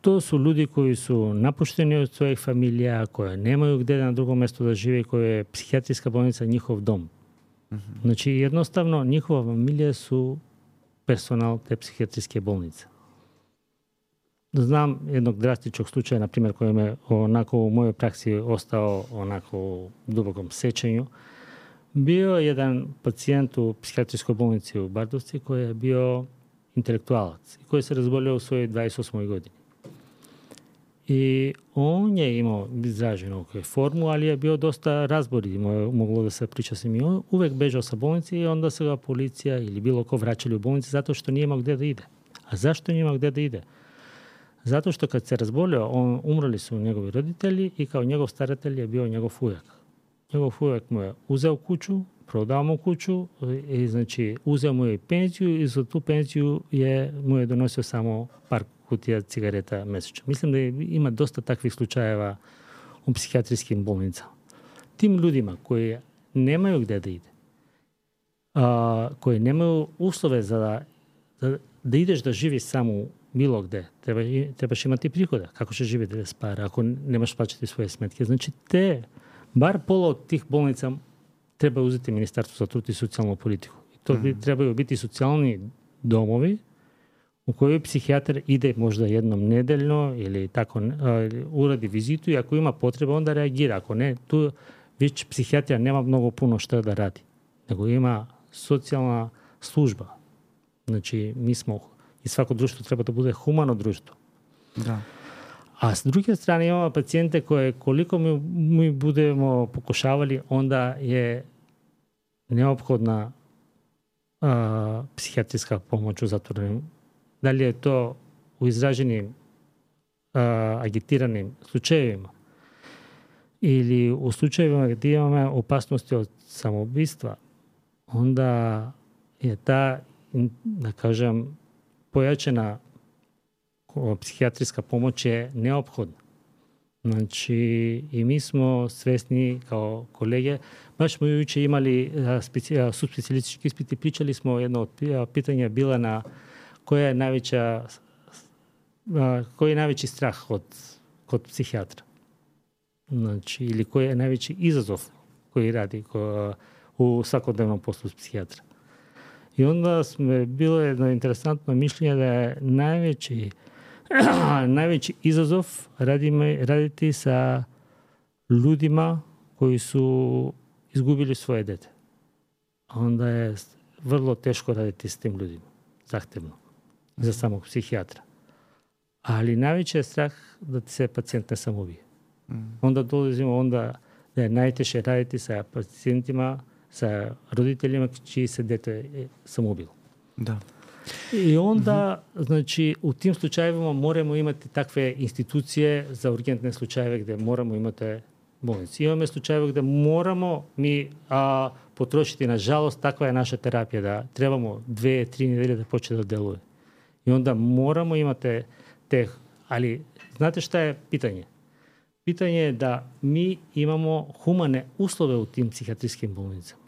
B: To su ljudi koji su napušteni od svojih familija, koje nemaju gdje na drugom mjestu da žive, koje je psihijatrijska bolnica njihov dom. Mm-hmm. Znači, jednostavno, njihova familija su personal te psihijatrijske bolnice. Znam jednog drastičnog slučaja, na primjer, koji me onako u mojoj praksi ostao onako u dubokom sećanju. Bio jedan pacijent u psihijatrijskoj bolnici u Bardovci koji je bio intelektualac i koji se razbolio u svojoj 28. godini. I on je imao izraženu formu, ali je bio dosta razborit, moglo da se priča sa njim. On uvek bežao sa bolnice i onda se ga policija ili bilo ko vraćali u bolnici zato što nije imao gdje da ide. A zašto nije imao gdje da ide? Zato što kad se razbolio, umrli su njegovi roditelji i kao njegov staratelj je bio njegov ujak. Njegov ujak mu je uzeo kuću, prodao mu kuću i znači uzeo mu je i penziju i za tu penziju mu je donosio samo par kutija cigareta mesečno. Mislim da ima dosta takvih slučajeva u psihijatrijskim bolnicama. Tim ljudima koji nemaju gdje da ide, koji nemaju uslove da ideš da živiš samo bilo gde, trebaš imati prihoda. Kako će živjeti bez para ako nemaš plaćati svoje smetke? Znači, bar pola od tih bolnica treba uzeti Ministarstvo za trud i socijalnu politiku. I to trebaju biti socijalni domovi u kojoj psihijatar ide možda jednom nedeljno ili tako uradi vizitu i ako ima potrebe onda reagira. Ako ne, tu već psihijatrija nema mnogo puno šta da radi. Nego ima socijalna služba. Znači, mi smo i svako društvo treba da bude humano društvo.
A: Da.
B: A s druge strane imamo pacijente koje koliko mi budemo pokušavali, onda je neophodna psihijatrijska pomoć u zatvorenim. Da li je to u izraženim agitiranim slučajevima ili u slučajevima gdje imamo opasnosti od samoubistva, onda je ta, da kažem, pojačana psihijatrijska pomoć je neophodna. Znači, i mi smo svesni kao kolege, baš smo jučer imali subspecijalistički ispit i pričali smo, jedno od pitanja bila na koji je najveći strah kod psihijatra. Znači, ili koji je najveći izazov koji radi u svakodnevnom poslu psihijatra. I onda bilo jedno interesantno mišljenje da je najveći izazov raditi sa ljudima koji su izgubili svoje dete. Onda je vrlo teško raditi s tim ljudima. Zahtevno. Za samog psihijatra. Ali najveći je strah da se pacijent ne samoubije. Onda dolazimo da je najteže raditi sa pacijentima, sa roditeljima čiji se dete samoubilo.
A: Da.
B: I onda, znači, u tim slučajevima moramo imati takve institucije za urgentne slučajeve gdje moramo imati bolnice. Imamo slučajeve gdje moramo mi potrošiti, nažalost, takva je naša terapija da trebamo 2-3 nedelje da počne da deluje. I onda moramo imati ali znate šta je pitanje? Pitanje je da mi imamo humane uslove u tim psihijatrijskim bolnicama.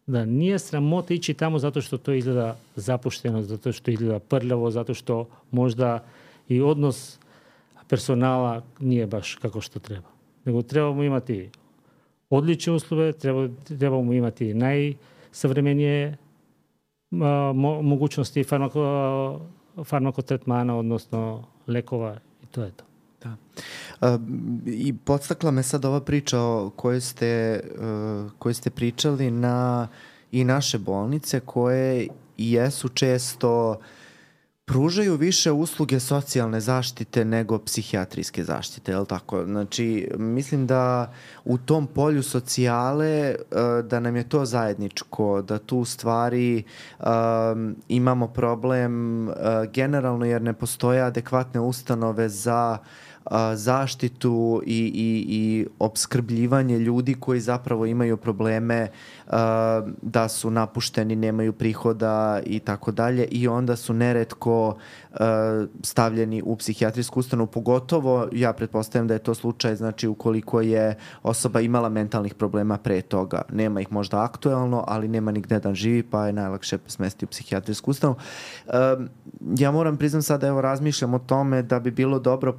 B: Da nije sramota ići tamo zato što to izgleda zapušteno, zato što izgleda prljavo, zato što možda i odnos personala nije baš kako što treba. Nego trebamo imati odlične uslove, trebamo imati najsavremenije mogućnosti farmakotretmana, odnosno lekova i to je to.
A: Da. I podstakla me sad ova priča o kojoj ste pričali na i naše bolnice koje jesu često pružaju više usluge socijalne zaštite nego psihijatrijske zaštite, je li tako? Znači, mislim da u tom polju socijale da nam je to zajedničko, da tu stvari imamo problem generalno jer ne postoje adekvatne ustanove za zaštitu i opskrbljivanje ljudi koji zapravo imaju probleme da su napušteni, nemaju prihoda i tako dalje i onda su neretko stavljeni u psihijatrijsku ustanovu, pogotovo ja pretpostavljam da je to slučaj, znači ukoliko je osoba imala mentalnih problema pre toga. Nema ih možda aktuelno, ali nema nigde da živi, pa je najlakše smestiti u psihijatrijsku ustanovu. Ja moram priznam sad, evo razmišljam o tome da bi bilo dobro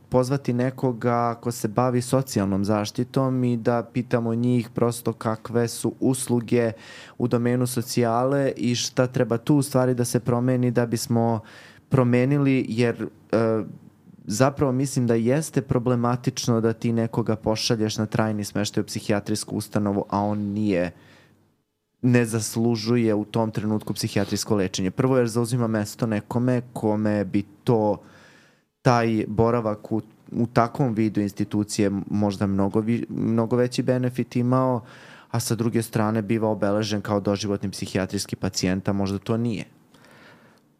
A: pozvati nekoga ko se bavi socijalnom zaštitom i da pitamo njih prosto kakve su usluge u domenu socijale i šta treba tu u stvari da se promeni da bismo promenili, jer zapravo mislim da jeste problematično da ti nekoga pošalješ na trajni smeštaj u psihijatrijsku ustanovu, a on ne zaslužuje u tom trenutku psihijatrijsko lečenje. Prvo jer zauzima mesto nekome kome bi taj boravak u takvom vidu institucije možda mnogo veći benefit imao, a sa druge strane biva obeležen kao doživotni psihijatrijski pacijent, a možda to nije.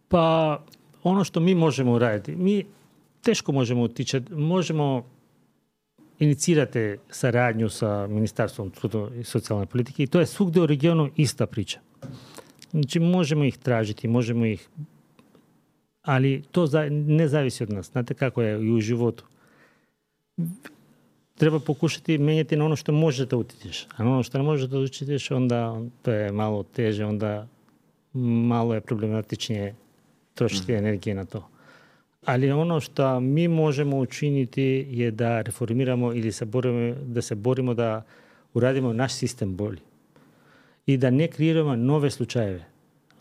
B: Pa ono što mi možemo uraditi, mi teško možemo utičati, možemo inicirati saradnju sa Ministarstvom truda i socijalne politike i to je svugdje u regionu ista priča. Znači možemo ih tražiti, možemo ih, ali to ne zavisi od nas. Znate kako je i u životu. Treba pokušati menjati na ono što možeš da utičeš. A na ono što ne možeš da utičeš, onda to je malo teže, onda malo je problematičnije trošiti energije na to. Ali ono što mi možemo učiniti je da reformiramo ili da se borimo da uradimo naš sistem bolji. I da ne kreiramo nove slučajeve.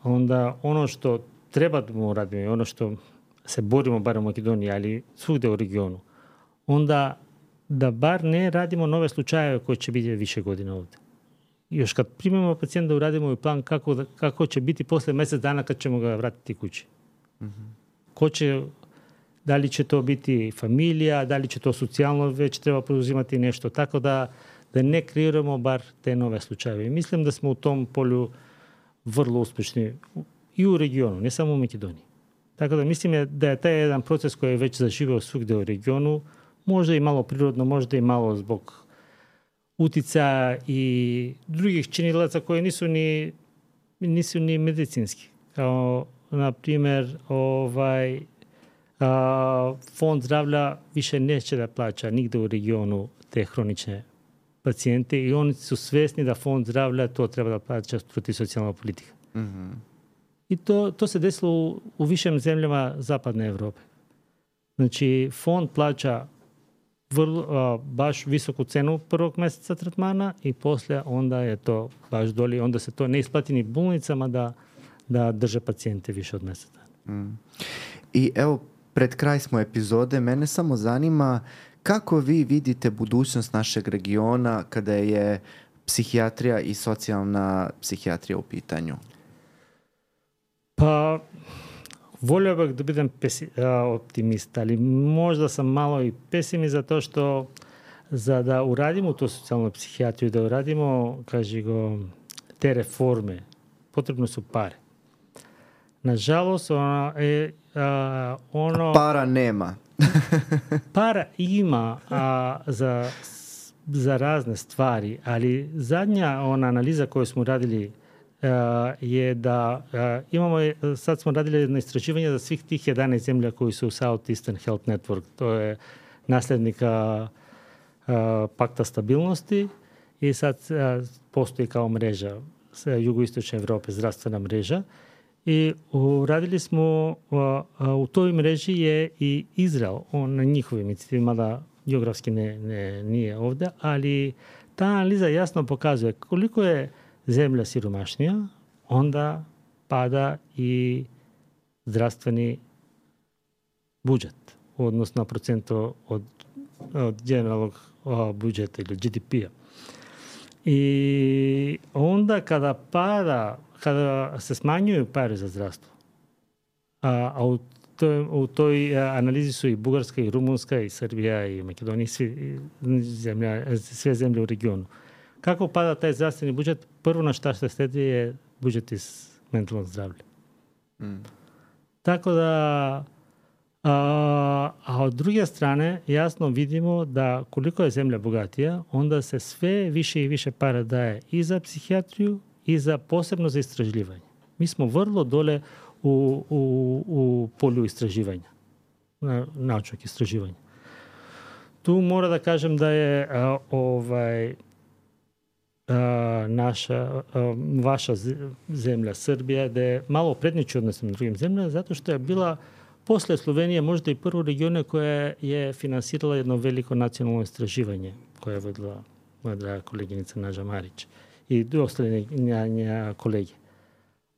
B: Onda ono što treba da uradimo i ono što se borimo bar u Makedoniji, ali svugde u regionu, onda da bar ne radimo nove slučajeve koji će biti više godina ovde. Još kad primimo pacijenta da uradimo i plan kako će biti posle mjesec dana kad ćemo ga vratiti kući. Da li će to biti familija, da li će to socijalno već treba preuzimati nešto. Tako da ne kreiramo bar te nove slučajeve. I mislim da smo u tom polju vrlo uspešni i u regionu, ne samo u Makedoniji. Tako da mislim da je taj jedan proces koji je već zaživeo svugde u regionu, možda i malo prirodno, možda i malo zbog uticaja i drugih činilaca koji nisu ni medicinski. Kao, na primjer, fond zdravlja više neće da plaća nigde u regionu te hronične pacijente i oni su svesni da fond zdravlja to treba da plaća protiv socijalna politika. I to se desilo u višim zemljama zapadne Evrope. Znači, fond plaća baš visoku cenu prvog mjeseca tretmana i poslije onda je to baš doli, onda se to ne isplati ni bolnicama da drže pacijente više od mjeseca.
A: I evo, pred kraj smo epizode, mene samo zanima kako vi vidite budućnost našeg regiona kada je psihijatrija i socijalna psihijatrija u pitanju?
B: Pa, volio bih da budem optimist, ali možda sam malo i pesimist zato što za da uradimo tu socijalnu psihijatriju, da uradimo, te reforme, potrebno su pare. Nažalost,
A: para nema.
B: Para ima za razne stvari, ali zadnja analiza koju smo radili je da sad smo radili jedno istraživanje za svih tih 11 zemlja koji su u Southeastern Health Network. To je nasljednika pakta stabilnosti i sad postoji kao mreža jugoistočne Evrope, zdravstvena mreža. I uradili smo, u toj mreži je i Izrael, on na njihovim inicijativima, mada geografski nije ovdje, ali ta analiza jasno pokazuje koliko je zemlja siromašnija, onda pada i zdravstveni budžet, odnosno na procentu od generalnog budžeta ili GDP-a. I onda kada se smanjuju pare za zdravstvo, a u toj analizi su i Bugarska, i Rumunska, i Srbija, i Makedonija, sve zemlje u regionu. Kako pada taj zdravstveni budžet? Prvo na šta se sledi je budžet iz mentalnog zdravlja. Tako da, a od druge strane jasno vidimo da koliko je zemlja bogatija, onda se sve više i više para daje i za psihijatriju i posebno za istraživanje. Mi smo vrlo dole u polju istraživanja, naučnog istraživanja. Tu mora da kažem da je vaša zemlja Srbija da je malo prednjači odnosno drugim zemljama zato što je bila posle Slovenije možda i prvo regione koja je finansirala jedno veliko nacionalno istraživanje koje je vodila moja draga koleginica Nađa Marić i ostale njene kolege.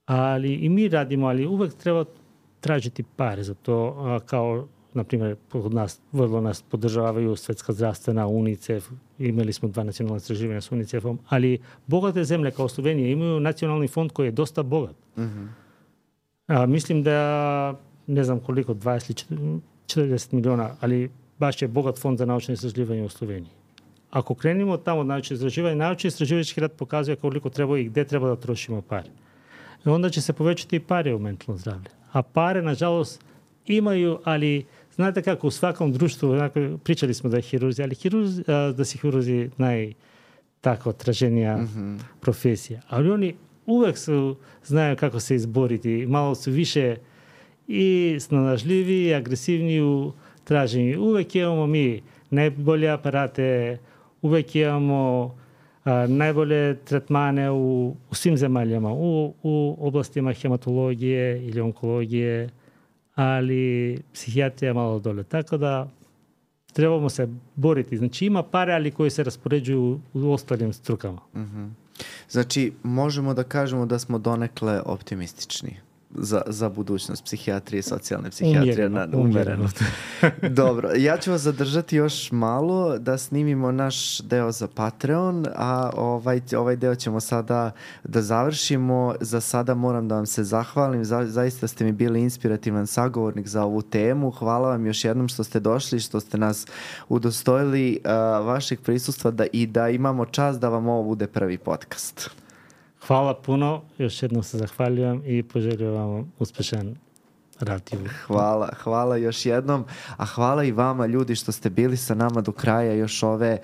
B: Ali i mi radimo, ali uvek treba tražiti pare za to, kao na primjer vrlo nas podržavaju Svetska zdravstvena, UNICEF, imali smo 2 nacionalna istraživanja s UNICEF-om, ali bogate zemlje kao Slovenija imaju nacionalni fond koji je dosta bogat. Mislim da ne znam koliko, 20 40 miliona, ali baš je bogat fond za naučno istraživanje u Sloveniji. Ako krenemo tamo od naučno istraživanje, naučni istraživački rad pokazuje koliko treba i gde treba da trošimo pare. I onda će se povećati i pare u mentalno zdravlje. A pare, nažalost, imaju, ali znate kako u svakom društvu, pričali smo da je hirurzi, ali da su hirurzi tako traženija profesija. Ali oni uvek znaju kako se izboriti. Malo su više i snalažljivi i agresivni u traženju. Uvek imamo mi najbolje aparate, uvek imamo najbolje tretmane u svim zemaljama, u oblastima hematologije ili onkologije, ali psihijatrija je malo dole. Tako da trebamo se boriti. Znači ima pare, ali koji se raspoređuju u ostalim strukama.
A: Znači, možemo da kažemo da smo donekle optimistični za budućnost psihijatrije i socijalne psihijatrije. Umereno. Dobro, ja ću vas zadržati još malo da snimimo naš deo za Patreon, a ovaj deo ćemo sada da završimo. Za sada moram da vam se zahvalim, zaista ste mi bili inspirativan sagovornik za ovu temu. Hvala vam još jednom što ste došli, što ste nas udostojili vašeg prisustva i da imamo čast da vam ovo bude prvi podcast.
B: Hvala puno, još jednom se zahvaljujem i poželjujem vam uspešan rad.
A: Hvala još jednom, a hvala i vama ljudi što ste bili sa nama do kraja još ove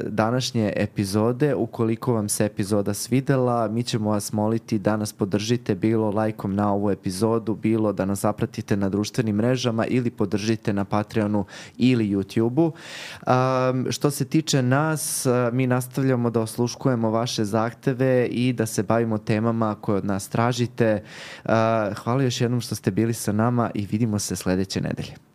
A: današnje epizode. Ukoliko vam se epizoda svidela, mi ćemo vas moliti da nas podržite bilo lajkom na ovu epizodu, bilo da nas zapratite na društvenim mrežama ili podržite na Patreonu ili YouTubeu. Što se tiče nas, mi nastavljamo da osluškujemo vaše zahteve i da se bavimo temama koje od nas tražite. Hvala još jednom što ste bili sa nama i vidimo se sledeće nedelje.